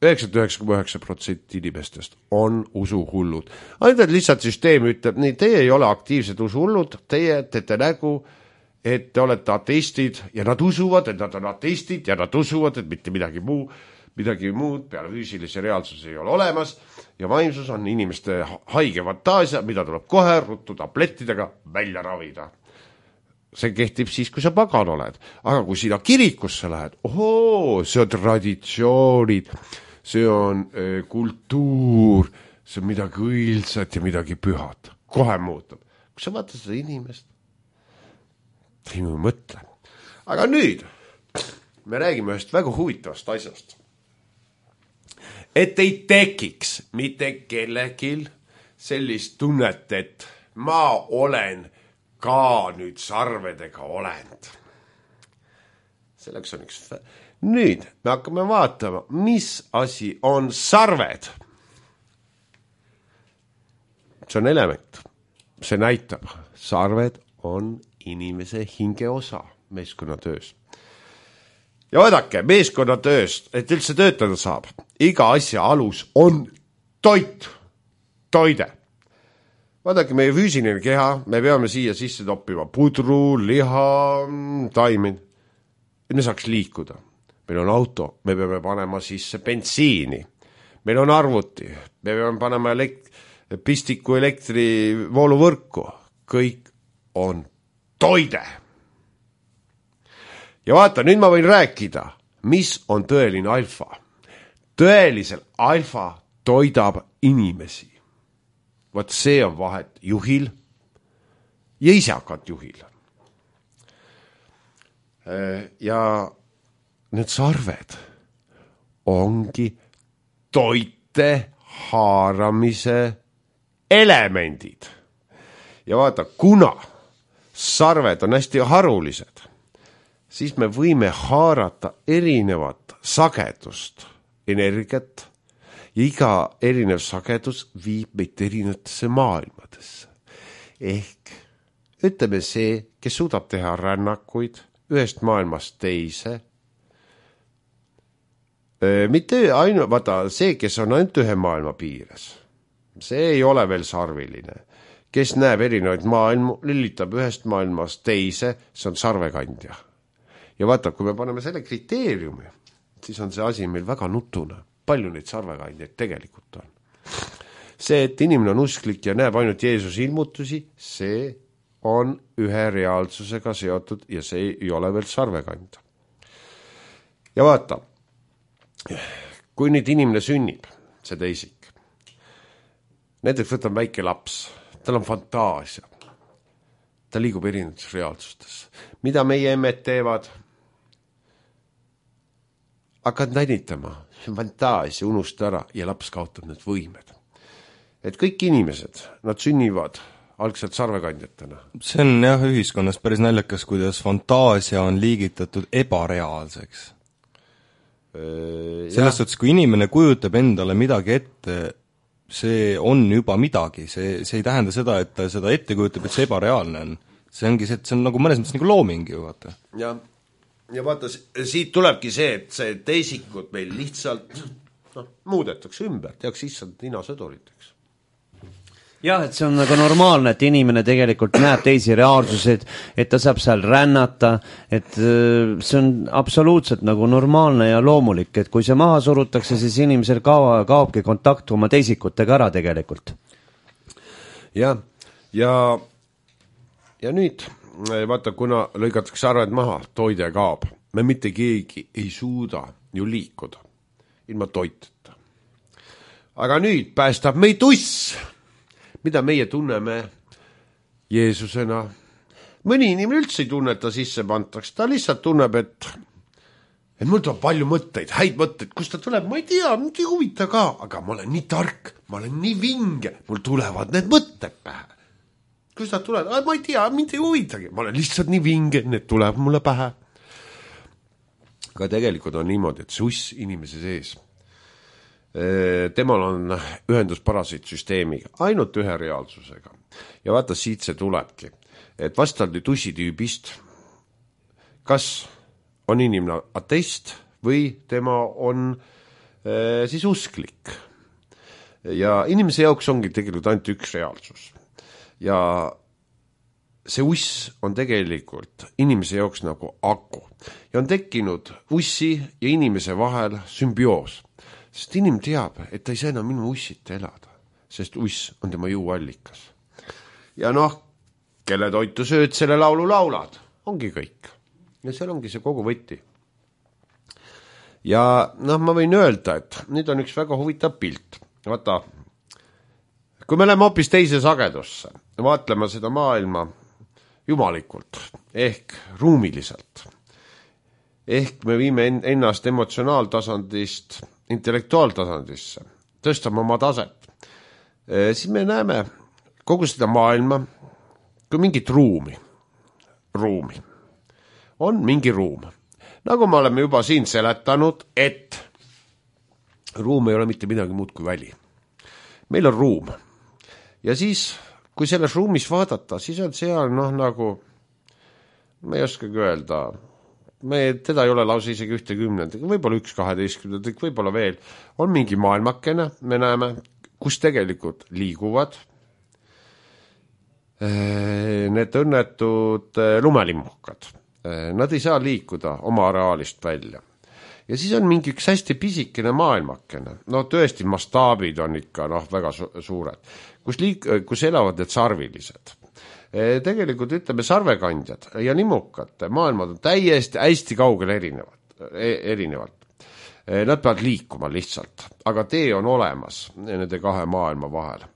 99,9% inimestest on usuhullud. Ainult lihtsalt süsteem ütleb, nii, teie ei ole aktiivsed usuhullud, teie teete nägu, et te olete ateistid ja nad usuvad, et nad on ateistid ja nad usuvad, et mitte midagi muud peale füüsilise reaalsuse ei ole olemas ja vaimsus on inimeste haige fantaasia, mida tuleb kohe ruttu tablettidega välja ravida. See kehtib siis, kui sa pagan oled. Aga kui sina kirikusse lähed, see on traditsioonid, see on kultuur, see on midagi õilsat ja midagi pühat. Kohe muutub. Kui sa vaatad seda inimest, ei mõtle. Aga nüüd me räägime ühest väga huvitavast asjast. Et ei tekiks mitte kellegil sellist tunnet, et ma olen ka nüüd sarvedega olend. Selleks on üks... Nüüd me hakkame vaatama, mis asi on sarved. See on element. See näitab, sarved on inimese hingeosa meeskonnatöös. Ja vaadake, meeskonnatööst, et üldse töötada saab, iga asja alus on toide. Vaadake, meie füüsiline keha, me peame siia sisse toppima pudru, liha, taimed, et me saaks liikuda. Meil on auto, me peame panema sisse bensiini, meil on arvuti, me peame panema pistiku elektrivooluvõrku, kõik on toide. Ja vaata, nüüd ma võin rääkida, mis on tõeline alfa. Tõelisel alfa toidab inimesi. Vaat see on vahet juhil ja isakat juhil. Ja need sarved ongi toite haaramise elemendid. Ja vaata, kuna sarved on hästi harulised, siis me võime haarata erinevat sagedust, energiat, ja iga erinev sagedus viib meid erinevatesse maailmadesse. Ehk ütleme see, kes suudab teha rännakuid ühest maailmast teise, mitte ainult, vaata, see, kes on ainult ühe maailma piires, see ei ole veel sarviline. Kes näeb erinevaid maailmu, lülitab ühest maailmast teise, see on sarvekandja. Ja vaata, kui me paneme selle kriteeriumi, siis on see asi meil väga nutune. Palju neid sarvekandjaid tegelikult on. See, et inimene on usklik ja näeb ainult Jeesuse ilmutusi, see on ühe reaalsusega seotud ja see ei ole veel sarvekandja. Ja vaata, kui nüüd inimene sünnib, see teisik, näiteks võtab väike laps, tal on fantaasia, ta liigub erinevates reaalsustes. Mida meie emmed teevad? Hakkad nänitama, see on fantaasia, unusta ära ja laps kaotab need võimed. Et kõik inimesed, nad sünnivad algselt sarvekandjatena. See on jah ühiskonnas päris naljakas, kuidas fantaasia on liigitatud ebareaalseks. Selles suhtes, kui inimene kujutab endale midagi ette, see on juba midagi, see ei tähenda seda, et ta seda ette kujutab, et see ebareaalne on. See ongi see, et see on nagu mõnes mõttes nagu looming ju, vaata. Ja ja vaata, siit tulebki see, et see teisikud meil lihtsalt muudetakse ümber, tehakse issand ninasõduriteks. jah, et see on nagu normaalne, et inimene tegelikult näeb teisi reaalsuseid, et ta saab seal rännata, et see on absoluutselt nagu normaalne ja loomulik, et kui see maha surutakse, siis inimesel kaobki kontakt oma teisikutega ära tegelikult. Ja nüüd, vaata, kuna lõigatakse arved maha, toide kaob, me mitte keegi ei suuda ju liikuda ilma toiteta. Aga nüüd päästab meid uss, mida meie tunneme Jeesusena. Mõni inimene üldse ei tunne, et ta sisse pantaks, ta lihtsalt tunneb, et mul tuleb palju mõtteid, häid mõtteid, kust ta tuleb, ma ei tea, mind ei huvita ka, aga ma olen nii tark, ma olen nii vinge, mul tulevad need mõtted pähe. Kust ta tuleb, ma ei tea, mind ei huvitagi, ma olen lihtsalt nii vinge, need tuleb mulle pähe. Aga tegelikult on niimoodi, et see uss inimese sees, temal on ühendus parasiitsüsteemiga, ainult ühe reaalsusega. Ja vaata, siit see tulebki, et vastavalt ussitüübist, kas on inimene ateist või tema on siis usklik. Ja inimese jaoks ongi tegelikult ainult üks reaalsus. Ja see uss on tegelikult inimese jaoks nagu aku. Ja on tekkinud ussi ja inimese vahel sümbioos. Sest inimene teab, et ta ei saa enam minu ussita elada, sest uss on tema jõuallikas. Ja kelle toitu sööd, selle laulu laulad, ongi kõik. Ja seal ongi see kogu võti. Ja ma võin öelda, et nüüd on üks väga huvitav pilt. Vaata, kui me läheme hoopis teise sagedusse, vaatleme seda maailma jumalikult, ehk ruumiliselt. Ehk me viime ennast emotsionaaltasandist intellektuaaltasandisse, tõstame oma taset. Siis me näeme kogu seda maailma kui mingit ruumi. On mingi ruum. Nagu me oleme juba siin seletanud, et ruum ei ole mitte midagi muud kui väli. Meil on ruum. Ja siis, kui selles ruumis vaadata, siis on seal nagu, ma ei oskagi öelda, teda ei ole lausa isegi 1/10, võib-olla 1/12, võib-olla veel. On mingi maailmakene, me näeme, kus tegelikult liiguvad need õnnetud lumelimmukad. Nad ei saa liikuda oma areaalist välja. Ja siis on mingi üks hästi pisikene maailmakene. Tõesti, mastaabid on ikka väga suured, kus elavad need sarvilised. Tegelikult ütleme sarvekandjad ja limmukad maailmad on täiesti hästi kaugel erinevalt. Nad peavad liikuma lihtsalt, aga tee on olemas nende kahe maailma vahel.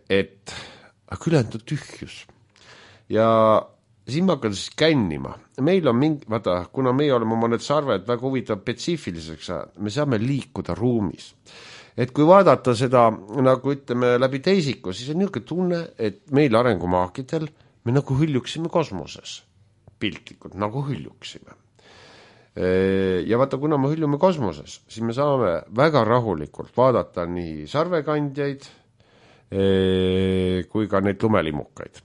Et ülejäänud on tühjus. Ja siin ma hakkan siis kännima. Meil on vaata, kuna meie oleme oma need sarved väga huvitav spetsiifiliseks, me saame liikuda ruumis. Et kui vaadata seda, nagu ütleme, läbi teisiku, siis on niisugune tunne, et meil arengumaakidel me nagu hüljuksime kosmoses. Piltlikult, nagu hüljuksime. Ja vaata, kuna me hüljume kosmoses, siis me saame väga rahulikult vaadata nii sarvekandjaid kui ka neid lumelimukaid.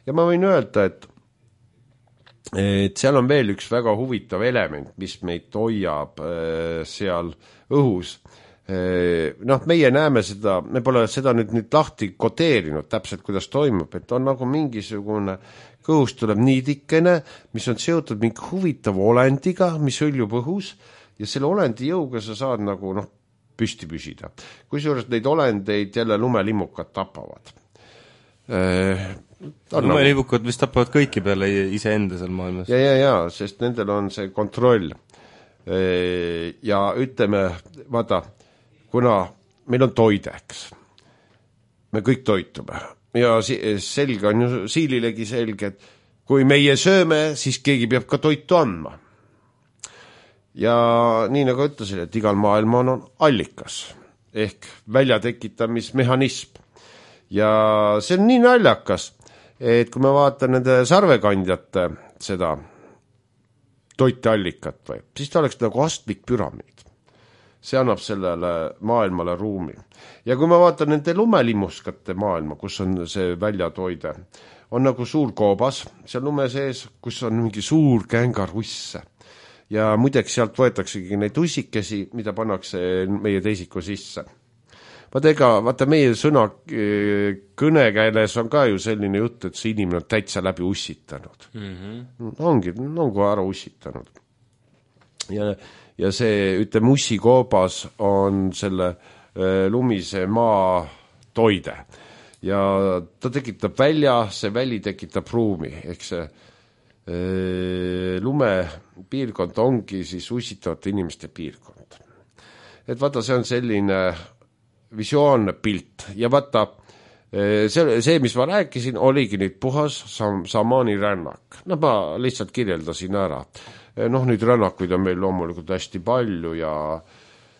Ja ma võin öelda, et seal on veel üks väga huvitav element, mis meid hoiab seal õhus. Meie näeme seda, me pole seda nüüd lahti koteerinud täpselt, kuidas toimub, et on nagu mingisugune kõhust tuleb niidikene, mis on seotud mingi huvitav olendiga, mis hõljub õhus ja selle olendi jõuga sa saad nagu püsti püsida. Kusjuures neid olendeid jälle lumelimmukad tapavad. Lumelimmukad vist tapavad kõiki peale iseenda seal maailmas. Ja, sest nendel on see kontroll. Ja ütleme, vaata, kuna meil on toideks, me kõik toitume ja selge on ju siililegi selge, et kui meie sööme, siis keegi peab ka toitu andma. Ja nii nagu ütlesin, et igal maailmal on allikas ehk väljatekitamismehhanism. Ja see on nii naljakas, et kui me vaatan nende sarvekandjate seda toiteallikat, siis ta oleks nagu astmik püramiid. see annab sellele maailmale ruumi. Ja kui ma vaatan nende lumelimmuskate maailma, kus on see väljatoide, on nagu suur koobas seal lume sees, kus on mingi suur kängarusse. Ja muideks sealt võetaksegi neid ussikesi, mida pannakse meie teisiku sisse. Vaata meie sõna kõnekäiles on ka ju selline jutt, et see inimene on täitsa läbi ussitanud. Ongi ära ussitanud. Ja see, ütleme, ussikoobas on selle lumise maa toide. Ja ta tekitab välja, see väli tekitab ruumi, ehk see lumepiirkond ongi siis ussitavate inimeste piirkond. Et vaata, see on selline visioonne pilt ja vaata, see, mis ma rääkisin, oligi nüüd puhas Samani rännak. Ma lihtsalt kirjeldasin ära. Nüüd rännakuid on meil loomulikult hästi palju ja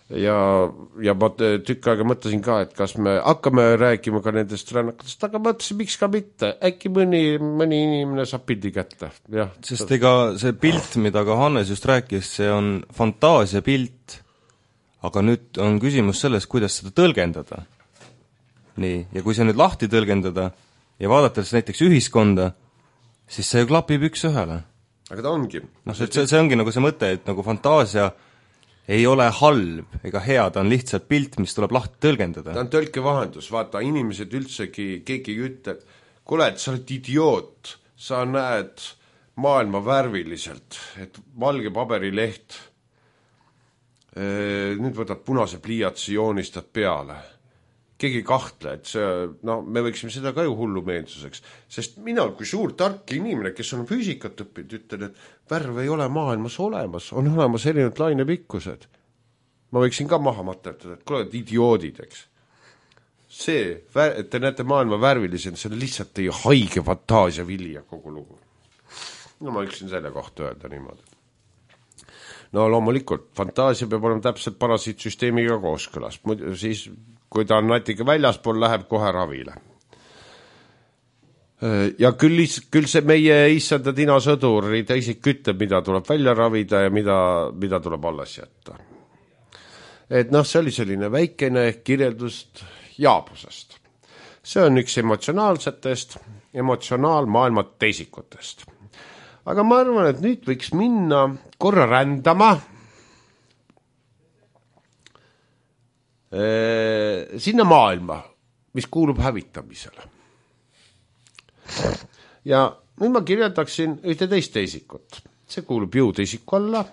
ma tükk aega mõtlesin ka, et kas me hakkame rääkima ka nendest rännakutest, aga mõtlesin, miks ka mitte. Äkki mõni inimene saab pildi kätte. Ja. Sest ega see pilt, mida ka Hannes just rääkis, see on fantaasia pilt, aga nüüd on küsimus selles, kuidas seda tõlgendada. Nii, ja kui see nüüd lahti tõlgendada ja vaadates näiteks ühiskonda, siis see ju klapib üks ühele. Aga ta ongi. See ongi nagu see mõte, et nagu fantaasia ei ole halb ega hea, ta on lihtsalt pilt, mis tuleb lahti tõlgendada. Ta on tõlkevahendus, vaata, inimesed üldsegi, keegi ütleb, kuule, et sa oled idioot, sa näed maailma värviliselt, et valge paberileht, nüüd võtad punase pliiatsi, joonistad peale. Keegi kahtle, et see, me võiksime seda ka ju hullumeelsuseks, sest mina kui suur tark inimene, kes on füüsikat õppinud, ütlen, et värv ei ole maailmas olemas, on olemas erinevad lainepikkused. Ma võiksin ka maha materdada, et kuule, idioodid, eks. See, et te näete maailma värvilisena, see on lihtsalt teie haige fantaasia vilja kogu lugu. Ma võiksin selle kohta öelda niimoodi. Loomulikult, fantaasia peab olema täpselt parasiitsüsteemiga kooskõlas. Siis, kui ta on natuke väljaspool, läheb kohe ravile. Ja küll see meie issanda Tina Sõduri teisik ütleb, mida tuleb välja ravida ja mida tuleb alles jätta. Et see oli selline väikene kirjeldust jaabusest. See on üks emotsionaalmaailma teisikutest. Aga ma arvan, et nüüd võiks minna korra rändama sinna maailma, mis kuulub hävitamisele. Ja nüüd ma kirjeldaksin ühte teist teisikut. See kuulub jõuteisiku alla,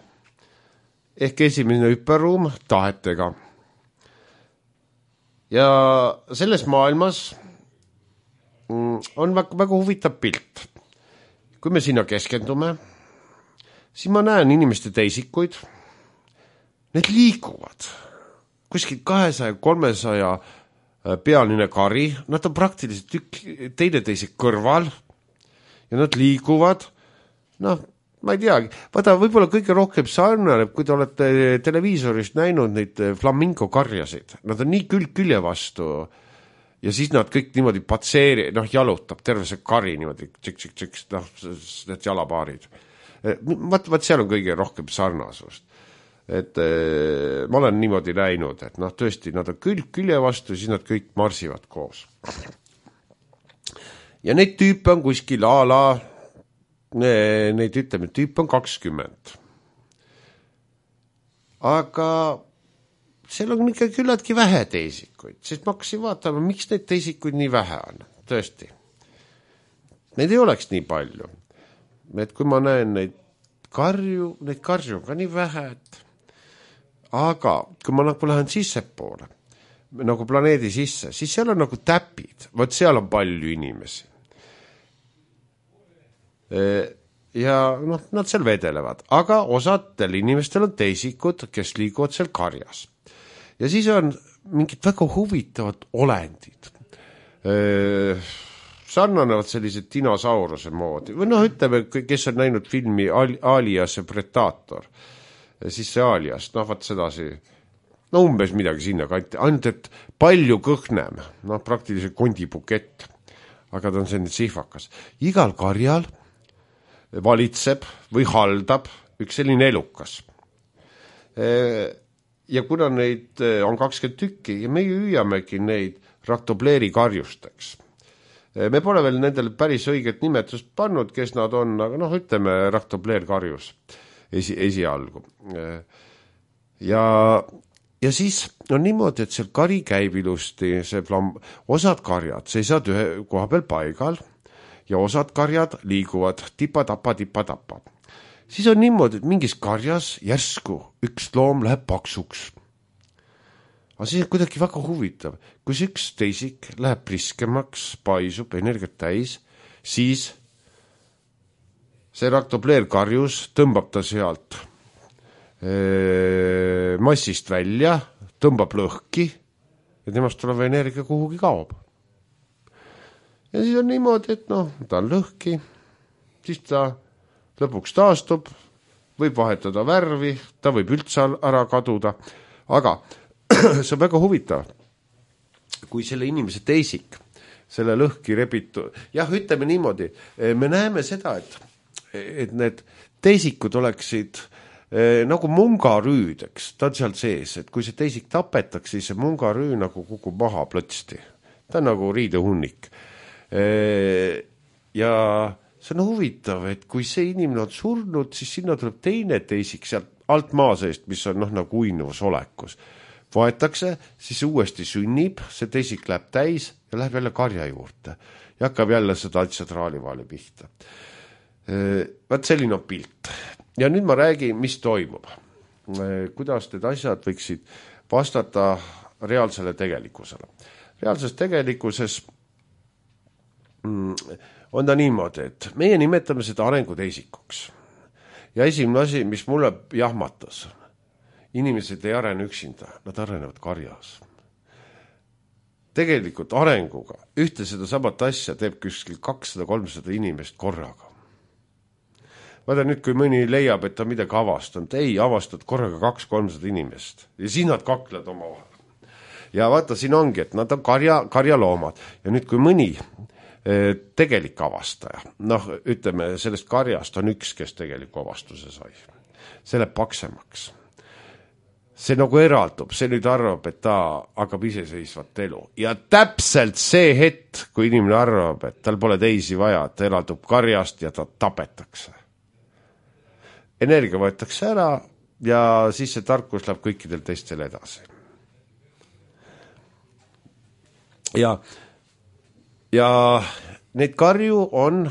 ehk esimene hüperruum tahetega. Ja selles maailmas on väga huvitav pilt. Kui me sinna keskendume, siis ma näen inimeste teisikuid, need liiguvad. Kuskil 200-300 pealine kari, nad on praktiliselt teineteise kõrval ja nad liiguvad, ma ei teagi, vaata, võib-olla kõige rohkem sarnaneb, kui te olete televiisorist näinud neid flamingo karjasid, nad on nii külje vastu ja siis nad kõik niimoodi jalutab, terve see kari niimoodi, need jalapaarid. Vaat seal on kõige rohkem sarnasust. Et ma olen niimoodi näinud, et tõesti, nad on külje vastu, siis nad kõik marsivad koos. Ja neid tüüpe on kuskil neid ütleme, tüüp on 20. Aga seal on ikka küllaltki vähe teisikuid, sest ma hakkasin vaatama, miks neid teisikuid nii vähe on, tõesti. Neid ei oleks nii palju. Et kui ma näen neid karju on ka nii vähe, aga kui ma lähen sissepoole, nagu planeedi sisse, siis seal on nagu täpid, vaat seal on palju inimesi. Ja nad seal vedelevad, aga osadel inimestel on teisikud, kes liiguvad seal karjas. Ja siis on mingid väga huvitavad olendid. Sarnanevad sellised dinosauruse moodi. Või ütleme, kes on näinud filmi Alias ja Predator, siis see Alias, vaat sedasi, umbes midagi sinna kanti, ainult et palju kõhnem, praktiliselt kondibukett, aga ta on selline sihvakas. Igal karjal valitseb või haldab üks selline elukas. ja kuna neid on 20 tükki ja me hüüamegi neid raktobleeri karjusteks. Me pole veel nendele päris õiget nimetust pannud, kes nad on, aga noh, ütleme raktobleer karjus esialgu. Ja siis on niimoodi, et seal kari käib ilusti, osad karjad seisavad ühe koha peal paigal ja osad karjad liiguvad tipa-tapa. Siis on niimoodi, et mingis karjas järsku üks loom läheb paksuks. Aga siis on kuidagi väga huvitav. Kui üks teisik läheb priskemaks, paisub, energiat täis, siis see raktobleer karjus tõmbab ta sealt massist välja, tõmbab lõhki ja temast tuleb energia kuhugi kaob. Ja siis on niimoodi, et ta on lõhki, siis ta lõpuks taastub, võib vahetada värvi, ta võib üldse ära kaduda, aga see on väga huvitav, kui selle inimese teisik, selle lõhki rebitu, jah, ütleme niimoodi, me näeme seda, et need teisikud oleksid nagu mungarüüd, eks, ta on seal sees, et kui see teisik tapetakse, siis see mungarüü nagu kukub maha plõtsti. Ta on nagu riidehunnik. Ja see on huvitav, et kui see inimene on surnud, siis sinna tuleb teine teisik sealt alt maa seest, mis on nagu uinuvus olekus. Vaetakse, siis uuesti sünnib, see teisik läheb täis ja läheb jälle karja juurde ja hakkab jälle seda asja traalivaali pihta. Vaat selline on pilt. Ja nüüd ma räägin, mis toimub. Kuidas need asjad võiksid vastata reaalsele tegelikkusele. Reaalses tegelikkuses on ta niimoodi, et meie nimetame seda arenguteisikuks. Ja esimene asi, mis mulle jahmatas, inimesed ei arene üksinda, nad arenevad karjas. Tegelikult arenguga ühte seda samat asja teeb kuskil 200-300 inimest korraga. Vaata nüüd, kui mõni leiab, et ta midagi avastanud, ei avastanud korraga 200-300 inimest ja siis nad kaklevad oma vahel. Ja vaata, siin ongi, et nad on karjaloomad ja nüüd, kui mõni tegelik avastaja, ütleme, sellest karjast on üks, kes tegeliku avastuse sai. See läheb paksemaks. See nagu eraldub, see nüüd arvab, et ta hakkab iseseisvat elu. Ja täpselt see hetk, kui inimene arvab, et tal pole teisi vaja, ta eraldub karjast ja ta tapetakse. Energia võetakse ära ja siis see tarkus läheb kõikidel teistel edasi. Ja neid karju on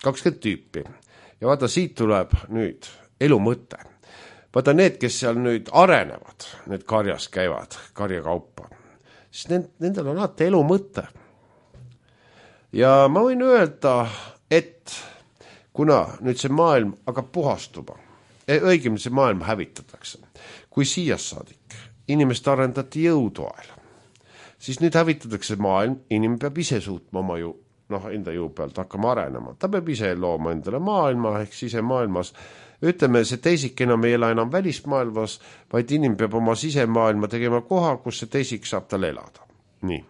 20 tüüpi. Ja vaata, siit tuleb nüüd elu mõte. Vaata need, kes seal nüüd arenevad, need karjas käivad, karjakaupa, siis nendel on alati elu mõte. Ja ma võin öelda, et kuna nüüd see maailm hakkab puhastuma, õigemini see maailm hävitatakse, kui siias saadik inimest arendati jõutoel, siis nüüd hävitatakse maailm, inimene peab ise suutma oma enda jõu pealt hakkama arenema. Ta peab ise looma endale maailma, ehk sisemaailmas. Ütleme, see teisik enam ei ela enam välismaailmas, vaid inimene peab oma sisemaailma tegema koha, kus see teisik saab tal elada. Nii.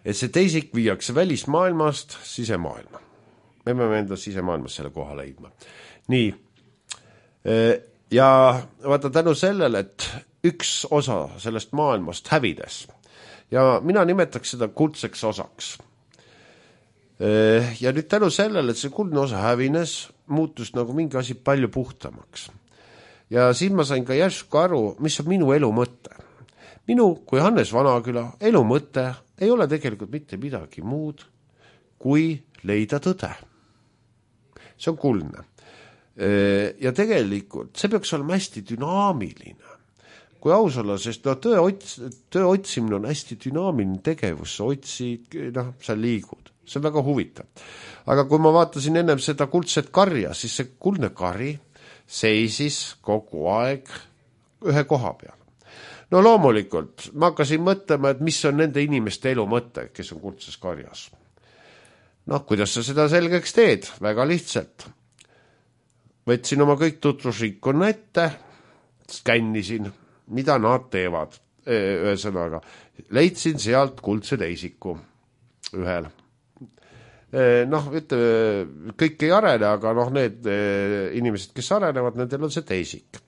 Et see teisik viiakse välismaailmast sisemaailma. Me peame enda sisemaailmas selle koha leidma. Nii. Ja vaata tänu sellele, et üks osa sellest maailmast hävides ja mina nimetaks seda kuldseks osaks. Ja nüüd tänu sellele, et see kuldne osa hävines, muutus nagu mingi asi palju puhtamaks. Ja siin ma sain ka järsku aru, mis on minu elu mõte. Minu kui Hannes Vanaküla elu mõte ei ole tegelikult mitte midagi muud, kui leida tõde. See on kuldne. Ja tegelikult see peaks olema hästi dünaamiline. Kui aus olla, sest töö otsimine on hästi dünaamiline tegevus, sa otsid, sa liigud. See on väga huvitav. Aga kui ma vaatasin ennem seda kuldset karja, siis see kuldne kari seisis kogu aeg ühe koha peal. No loomulikult, ma hakkasin mõtlema, et mis on nende inimeste elu mõte, kes on kuldses karjas. Kuidas sa seda selgeks teed? Väga lihtsalt. Võtsin oma kõik tutvusrikkonna ette, skännisin, mida nad teevad. Ühesõnaga, leidsin sealt kuldse teisiku ühel. Kõik ei arene, aga need inimesed, kes arenevad, nendel on see teisik.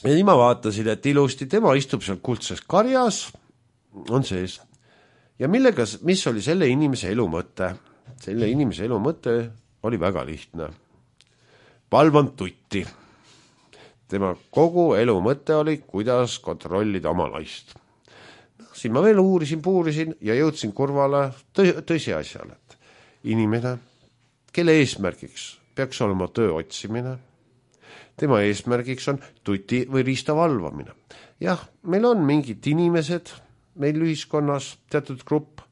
ja nii ma vaatasin, et ilusti tema istub seal kuldses karjas, on sees. Ja mis oli selle inimese elu mõte? Selle inimese elu mõte oli väga lihtne. Valvanud tutti. Tema kogu elu mõte oli, kuidas kontrollida oma naist. Siin ma veel puurisin ja jõudsin kurvale tõsiasjale, et inimene, kelle eesmärgiks peaks olema töö otsimine, tema eesmärgiks on tuti või riista valvamine. Jah, meil on mingid inimesed, meil ühiskonnas teatud grupp,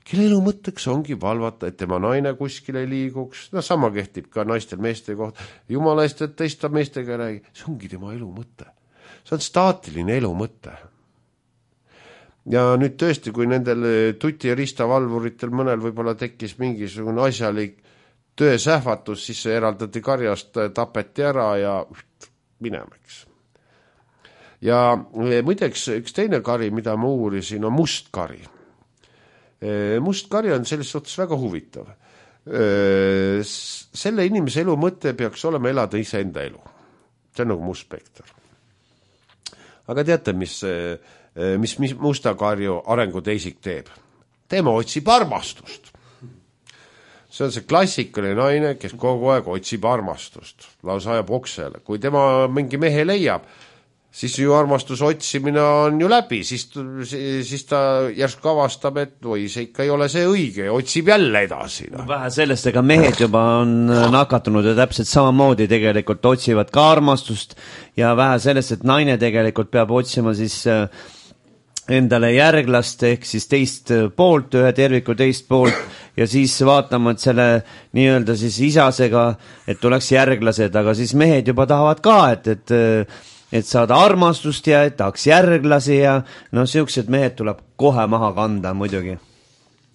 kelle elu mõtteks ongi valvata, et tema naine kuskil ei liiguks. No sama kehtib ka naistel meeste kohta. Jumala eest, et teista meestega räägi. See ongi tema elu mõte. See on staatiline elu mõte. Ja nüüd tõesti, kui nendel tuti- ja riistavalvuritel mõnel võib-olla tekkis mingisugune asjalik töösähvatus, siis see eraldati karjast, tapeti ära ja minemaks. Ja muideks üks teine kari, mida ma uurisin, on must kari. Must kari on selles suhtes väga huvitav. Selle inimese elu mõte peaks olema elada iseenda elu. See on nagu must spekter. Aga teate, mis musta karju arenguteisik teeb? Tema otsib armastust. See on see klassikaline naine, kes kogu aeg otsib armastust. Lausa ajab oksele. Kui tema mingi mehe leiab, siis ju armastus otsimine on ju läbi. Siis ta järsku avastab, et või see ikka ei ole see õige ja otsib jälle edasi. No. Vähe sellest, ega mehed juba on nakatunud ja täpselt samamoodi tegelikult otsivad ka armastust ja vähe sellest, et naine tegelikult peab otsima siis endale järglast ehk siis teist poolt, ühe terviku teist poolt ja siis vaatama, et selle nii-öelda siis isasega, et tuleks järglased, aga siis mehed juba tahavad ka, et saada armastust ja et tahaks järglasi ja no siuksed mehed tuleb kohe maha kanda muidugi.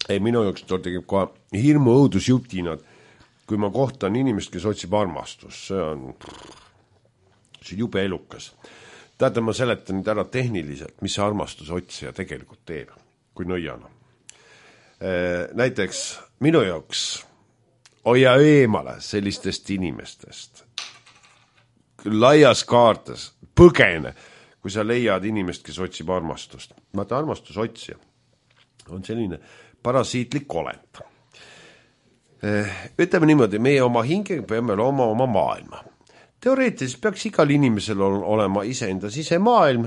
Ei, minu jaoks tegib kohe hirmu õudusjutinad, kui ma kohtan inimest, kes otsib armastust. See on jube elukas. Teate, ma seletan nüüd ära tehniliselt, mis see armastuse otsija tegelikult teeb, kui nõiana. Näiteks minu jaoks hoia eemale sellistest inimestest. Laias kaartes, põgene, kui sa leiad inimest, kes otsib armastust. Vaata, armastusotsija on selline parasiitlik olend. Ütleme niimoodi, meie oma hingega peame looma oma maailma. Teoreetiliselt peaks igal inimesel olema iseenda sisemaailm,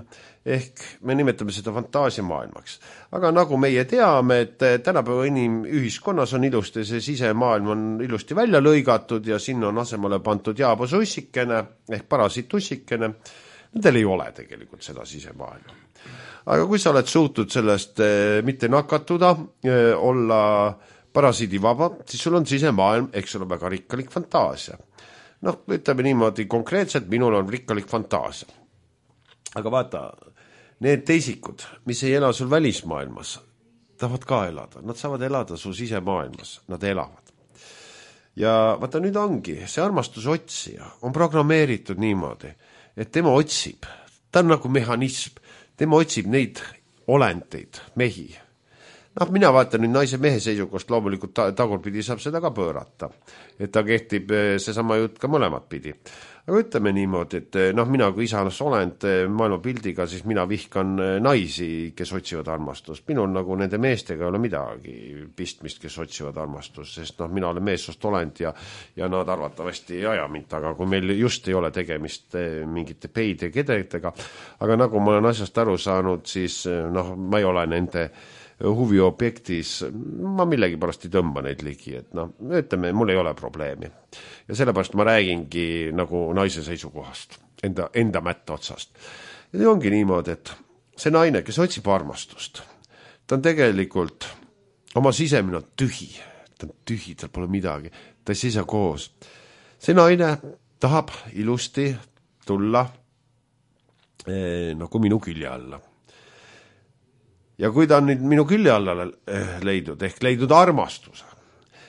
ehk me nimetame seda fantaasiamaailmaks. Aga nagu meie teame, et tänapäeva inimühiskonnas on ilusti, see sisemaailm on ilusti välja lõigatud ja sinna on asemale pantud jaabasussikene ehk parasiitussikene. Nendel ei ole tegelikult seda sisemaailma. Aga kui sa oled suutnud sellest mitte nakatuda, olla parasiidivaba, siis sul on sisemaailm, eks ole väga rikkalik fantaasia. Noh, ütleme niimoodi konkreetselt, minul on rikkalik fantaasia. Aga vaata, need teisikud, mis ei ela sul välismaailmas, tahavad ka elada. Nad saavad elada su sisemaailmas, nad elavad. Ja vaata, nüüd ongi, see armastusotsija on programmeeritud niimoodi, et tema otsib, ta on nagu mehhanism, tema otsib neid olendeid, mehi. Noh, mina vaatan nüüd naise mehe seisukost, loomulikult tagurpidi saab seda ka pöörata. Et ta kehtib seesama jutt ka mõlemat pidi. Aga ütleme niimoodi, et noh, mina kui isanas olend maailma pildiga, siis mina vihkan naisi, kes otsivad armastust. Minul nagu nende meestega ei ole midagi pistmist, kes otsivad armastust, sest noh, mina olen meessoost olend ja nad arvatavasti ei aja mind, aga kui meil just ei ole tegemist mingite peide kedetega, aga nagu ma olen asjast aru saanud, siis noh, ma ei ole nende huviobjektis, ma millegi pärast ei tõmba neid ligi, et noh, ütleme, mul ei ole probleemi. Ja sellepärast ma räägingi nagu naise seisukohast, enda mätta otsast. Ja see ongi niimoodi, et see naine, kes otsib armastust, ta on tegelikult oma sisemine tühi, ta on tühi, tal pole midagi, ta ei seisa koos. See naine tahab ilusti tulla nagu minu külje alla. Ja kui ta on nüüd minu külje alla leidnud, ehk leidnud armastuse,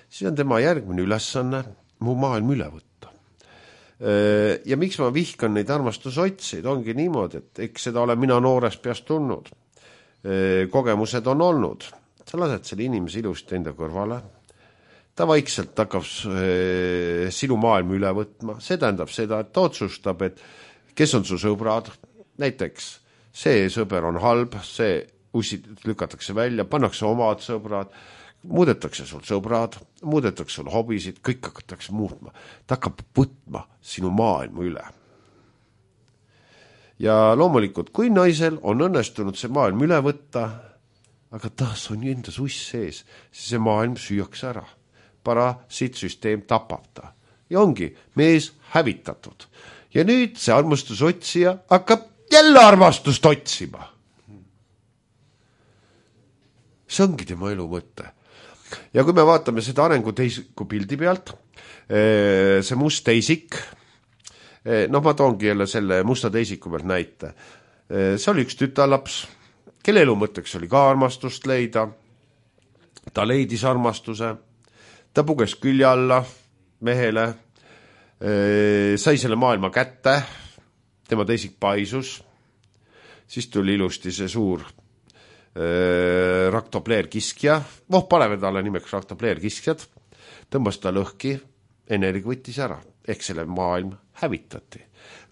siis on tema järgmine ülesanne mu maailm üle võtta. Ja miks ma vihkan neid armastusotseid, ongi niimoodi, et eks seda olen mina noores peast tulnud. Kogemused on olnud. Sa lased selle inimese ilusti enda kõrvale. Ta vaikselt hakkab sinu maailm üle võtma. See tähendab seda, et ta otsustab, et kes on su sõbrad, näiteks see sõber on halb, see ussid lükatakse välja, pannakse omad sõbrad, muudetakse sul sõbrad, muudetakse sul hobisid, kõik hakatakse muutma. Ta hakkab võtma sinu maailma üle. Ja loomulikult, kui naisel on õnnestunud see maailm üle võtta, aga taas on ju endas uss sees, siis see maailm süüakse ära. Parasiitsüsteem tapab ta. Ja ongi mees hävitatud. Ja nüüd see armastusotsija hakkab jälle armastust otsima. See ongi tema elu mõte. Ja kui me vaatame seda arengu teisiku pildi pealt, see must teisik, ma toongi jälle selle musta teisiku pealt näite. See oli üks tütarlaps, kelle elu mõtteks oli ka armastust leida. Ta leidis armastuse, ta puges külje alla mehele, sai selle maailma kätte, tema teisik paisus, siis tuli ilusti see suur raktopleerkiskja, paneme talle nimeks raktopleerkiskjad, tõmbas ta lõhki, energia võttis ära, ehk selle maailm hävitati.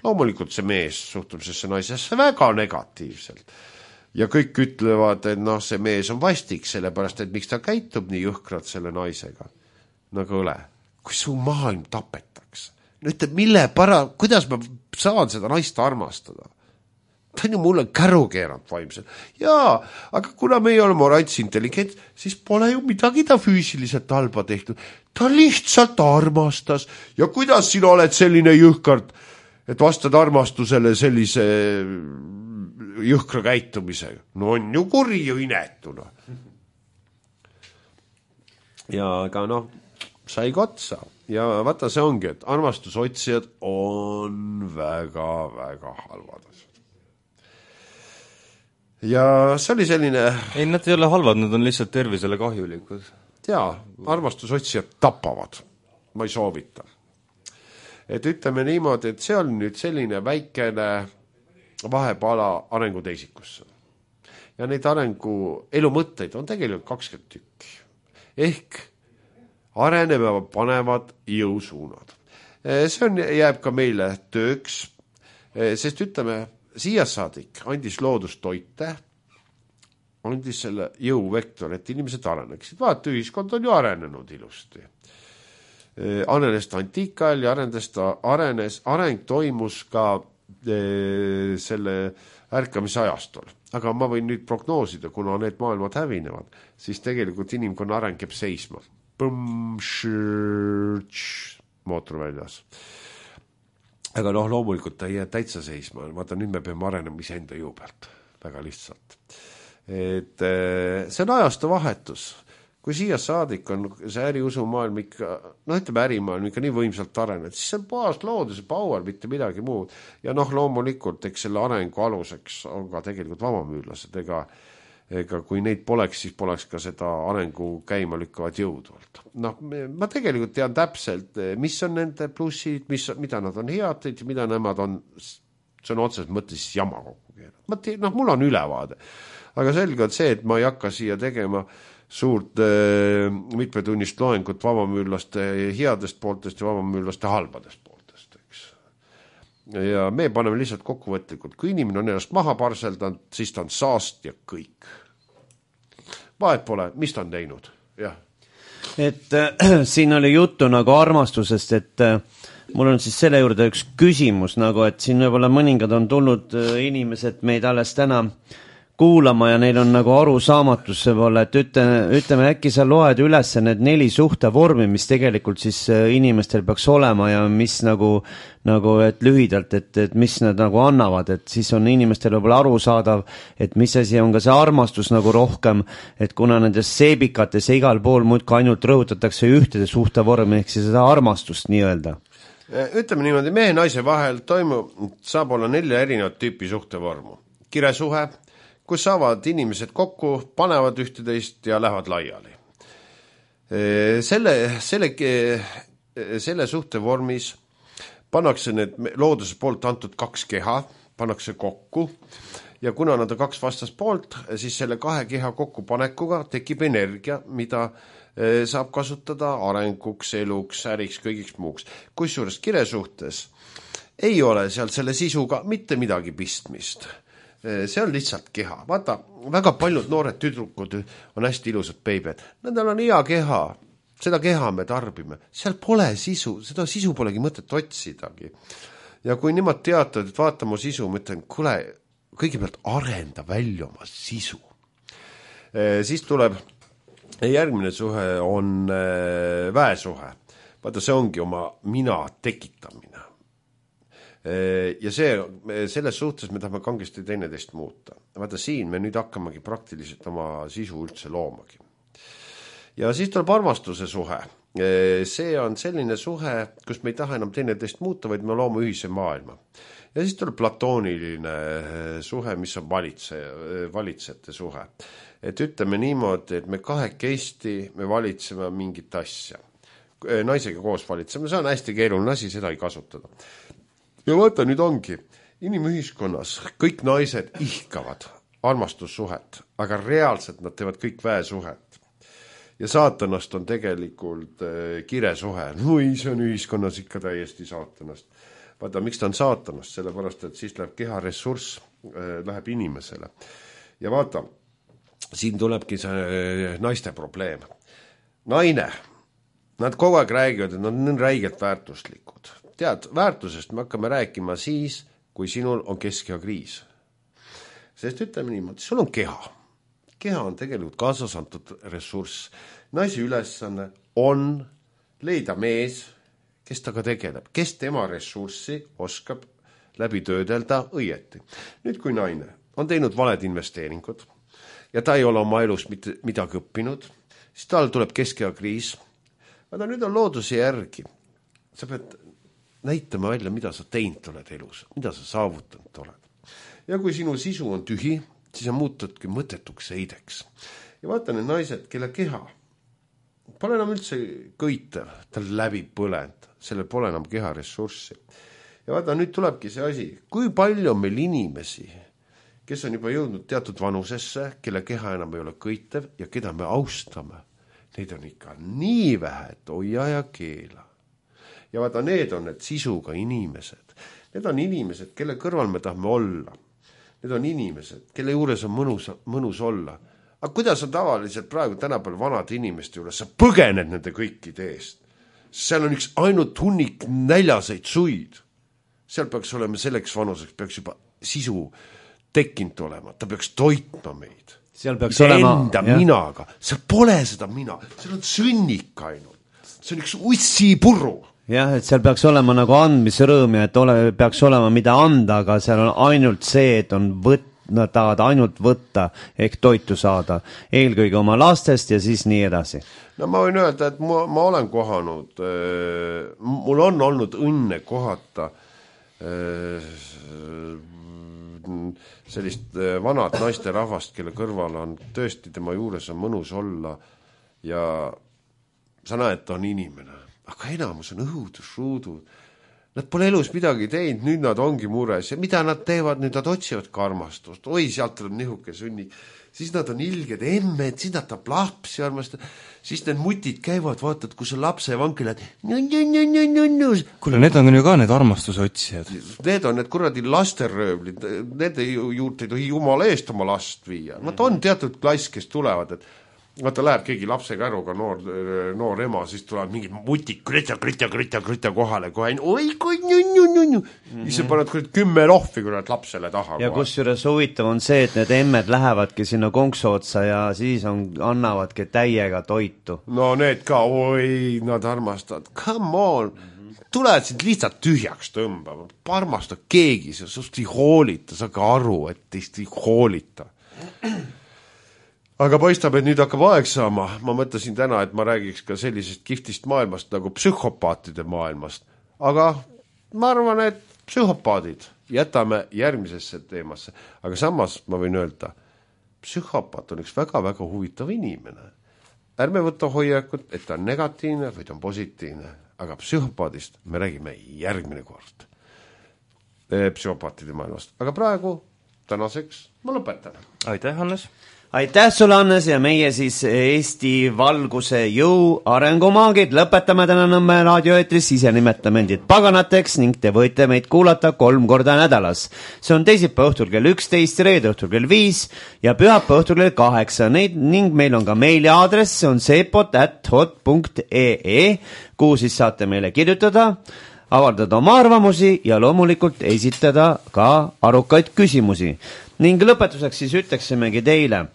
Loomulikult see mees suhtub sellesse naisesse väga negatiivselt. Ja kõik ütlevad, et see mees on vastik, sellepärast, et miks ta käitub nii jõhkralt selle naisega. Nagu õle, kui su maailm tapetakse. Ütleb, kuidas ma saan seda naist armastada? Ta on ju mulle käru keeranud vaimselt. Jaa, aga kuna me ei ole morants intelligent, siis pole ju midagi ta füüsiliselt halba tehtud. Ta lihtsalt armastas. Ja kuidas sina oled selline jõhkard, et vastad armastusele sellise jõhkra käitumisega? No on ju kuri ju inetuna. Ja aga sai otsa. Ja vaata, see ongi, et armastusotsijad on väga-väga halvad. Ja see oli selline... Ei, nad ei ole halvad, nad on lihtsalt tervisele kahjulikud. Jaa, armastusotsijad tapavad. Ma ei soovita. Et ütleme niimoodi, et see on nüüd selline väikene vahepala arengu teisikusse. Ja neid arengu elumõtteid on tegelikult 20 tükki. Ehk arenevad panevad jõusuunad. See jääb ka meile tööks, sest ütleme, siia saadik andis loodustoite, andis selle jõuvektor, et inimesed areneksid. Vaata, ühiskond on ju arenenud ilusti. Arenes ta antiikajal ja areng toimus ka selle ärkamise ajastol. Aga ma võin nüüd prognoosida, kuna need maailmad hävinevad, siis tegelikult inimkonna areng jääb seisma. Mootor väljas. Aga loomulikult ta ei jää täitsa seisma. Vaata, nüüd me peame arenema iseenda jõu pealt. Väga lihtsalt. Et see on ajastu vahetus. Kui siia saadik on see äriusumaailm ikka, ütleme ärimaailm ikka nii võimsalt arenenud, siis see on puhas looduse paual, mitte midagi muud. Ja loomulikult, eks selle arengu aluseks on ka tegelikult vabamüürlased. Ega kui neid poleks, siis poleks ka seda arengu käima lükkavad jõudvalt. Ma tegelikult tean täpselt, mis on nende plussid, mida nad on head, mida nemad on, see on otseselt mõttes jama kokku keerad. Mul on ülevaade. Aga selge on see, et ma ei hakka siia tegema suurt mitmetunnist loengut vabamüürlaste headest pooltest ja vabamüürlaste halbadest pooltest. Eks. Ja me paneme lihtsalt kokkuvõtlikult. Kui inimene on ennast maha parseldanud, siis ta on saast ja kõik. Vahet pole, mis ta on teinud? Jah. Et siin oli juttu nagu armastusest, et mul on siis selle juurde üks küsimus, et siin võib-olla mõningad on tulnud inimesed meid alles täna kuulama ja neil on nagu arusaamatus võib-olla, et ütleme, äkki sa loed üles need 4 suhtevormi, mis tegelikult siis inimestel peaks olema ja mis nagu et lühidalt, et mis nad nagu annavad, et siis on inimestel võib-olla arusaadav, et mis asi on ka see armastus nagu rohkem, et kuna nendes seebikates ja igal pool muudki ainult rõhutatakse ühtede suhtevormi, ehk siis seda armastust nii-öelda. Ütleme niimoodi, mehe ja naise vahel saab olla 4 erinevat tüüpi suhtevormu. Kiresuhe, kus saavad inimesed kokku, panevad ühteteist ja lähevad laiali. Selle suhtevormis pannakse need looduse poolt antud 2 keha, pannakse kokku ja kuna nad on 2 vastaspoolt, siis selle 2 keha kokkupanekuga tekib energia, mida saab kasutada arenguks, eluks, äriks, kõigiks muuks. Kusjuures kiresuhtes ei ole seal selle sisuga mitte midagi pistmist. See on lihtsalt keha. Vaata, väga paljud noored tüdrukud on hästi ilusad beibed. Nendel on hea keha, seda keha me tarbime. Seal pole sisu, seda sisu polegi mõtet otsidagi. Ja kui nimad teatavad, et vaata mu sisu, ma ütlen, kuule, kõigepealt arenda välja oma sisu. Siis tuleb järgmine suhe on väesuhe. Vaata, see ongi oma mina tekitamine. Ja selles suhtes me tahame kangesti teineteist muuta. Vaata, siin me nüüd hakkamegi praktiliselt oma sisu üldse loomagi. Ja siis tuleb armastuse suhe. See on selline suhe, kus me ei taha enam teineteist muuta, vaid me loome ühise maailma. Ja siis tuleb platooniline suhe, mis on valitsejate suhe. Et ütleme niimoodi, et me kahekesti me valitseme mingit asja. Naisega koos valitseme, see on hästi keeruline asi, seda ei kasutada. Ja vaata, nüüd ongi, inimühiskonnas kõik naised ihkavad armastussuhet, aga reaalselt nad teevad kõik väesuhet. Ja saatanast on tegelikult kiresuhe. No ei, see on ühiskonnas ikka täiesti saatanast. Vaata, miks ta on saatanast? Sellepärast, et siis läheb keha ressurss, läheb inimesele. Ja vaata, siin tulebki see naiste probleem. Naine, nad kogu aeg räägivad, et nad on räigelt väärtuslikud. Tead, väärtusest me hakkame rääkima siis, kui sinul on keskehakriis. Sest ütleme niimoodi, sul on keha. Keha on tegelikult kaasas antud ressurss. Naisi ülesanne on leida mees, kes taga tegeleb, kes tema ressurssi oskab läbi töödelda õieti. Nüüd, kui naine on teinud valed investeeringud ja ta ei ole oma elus midagi õppinud, siis tal tuleb keskehakriis. Aga nüüd on looduse järgi. Sa pead näitama välja, mida sa teinud oled elus, mida sa saavutanud oled. Ja kui sinu sisu on tühi, siis sa muutudki mõttetuks heideks. Ja vaata need naised, kelle keha pole enam üldse kõitev, tal läbi põlend, sellel pole enam keha ressurssi. Ja vaata, nüüd tulebki see asi, kui palju on meil inimesi, kes on juba jõudnud teatud vanusesse, kelle keha enam ei ole kõitev ja keda me austame. Neid on ikka nii vähe, et hoia ja keela. Ja vaata, need on need sisuga inimesed. Need on inimesed, kelle kõrval me tahame olla. Need on inimesed, kelle juures on mõnus olla. Aga kuidas on tavaliselt praegu tänapäeval vanade inimeste juures? Sa põgened nende kõikide eest. Seal on üks ainult hunnik näljaseid suid. Seal peaks olema selleks vanuseks, peaks juba sisu tekkinud olema. Ta peaks toitma meid. Seal peaks olema enda minaga. Seal pole seda mina. Seal on sõnnik ainult. See on üks ussi purru. Jah, et seal peaks olema nagu andmisrõõm ja et peaks olema mida anda, aga seal on ainult see, et nad tahavad ainult võtta ehk toitu saada. Eelkõige oma lastest ja siis nii edasi. No ma võin öelda, et ma olen kohanud, mul on olnud õnne kohata sellist vanad naiste rahvast, kelle kõrval on tõesti tema juures on mõnus olla ja sa näed, ta on inimene. Aga enamus on õudusruudud. Nad pole elus midagi teinud, nüüd nad ongi mures. Ja mida nad teevad? Nüüd nad otsivad karmastust. Oi, sealt tuleb nihuke sunni. Siis nad on ilged emmed, siis nad tahab lapsi armastada. Siis need mutid käivad, vaatad, kus on lapse vanki lähed. Kuule, need on ju ka need armastusotsijad. Need on need kuradi lasteröövlid. Nende juurde ei tohi jumala eest oma last viia. Nad on teatud klass, kes tulevad, et vaata, läheb keegi lapsega äruga noor ema, siis tulevad mingid mutik, krita kohale kohe, oi kui nju. Siis paned 10 lohvi, kui nad lapsele taha. Ja kusjuures huvitav on see, et need emmed lähevadki sinna konksu otsa ja siis annavadki täiega toitu. No need ka, oi, nad armastavad, come on. Tuled sind lihtsalt tühjaks tõmbama, armasta keegi, sest ei hoolita, sa ka aru, et teist ei hoolita. Aga paistab, et nüüd hakkab aeg saama. Ma mõtlesin täna, et ma räägiks ka sellisest kiftist maailmast nagu psühhopaatide maailmast. Aga ma arvan, et psühhopaadid jätame järgmisesse teemasse. Aga samas ma võin öelda, psühhopaat on üks väga-väga huvitav inimene. Ärme võtta hoiakut, et ta on negatiivne või ta on positiivne. Aga psühhopaadist me räägime järgmine kord. Psühhopaatide maailmast. Aga praegu tänaseks ma lõpetan. Aitäh, Hannes! aitäh sulle, Hannes, ja meie siis Eesti valguse jõu arengumaagid lõpetame täna Nõmme raadioeetris, ise nimetame endid paganateks ning te võite meid kuulata 3 korda nädalas. See on teisipäeva õhtul kell 11, reede õhtul kell 5 ja pühapäeva õhtul kell 8 ning meil on ka meiliaadress, see on sepot@hot.ee, kuhu siis saate meile kirjutada, avaldada oma arvamusi ja loomulikult esitada ka arukaid küsimusi. Ning lõpetuseks siis ütleksimegi teile,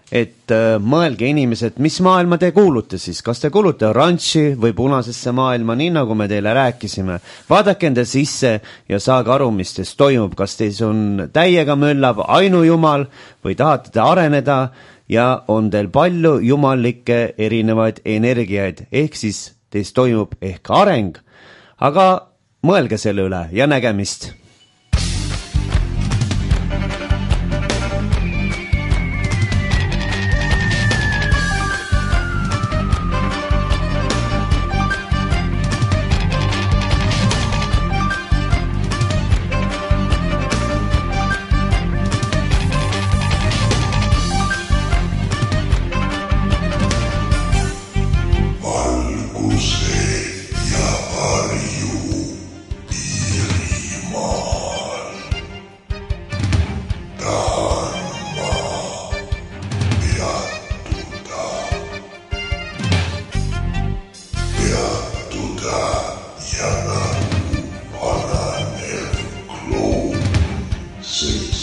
et mõelge inimesed, mis maailma te kuulute siis, kas te kuulute oranži või punasesse maailma, nii nagu me teile rääkisime. Vaadake enda sisse ja saage aru, mis teist toimub, kas teis on täiega möllab ainujumal või tahate te areneda ja on teil palju jumallikke erinevaid energiaid, ehk siis teist toimub ehk areng, aga mõelge selle üle ja nägemist. See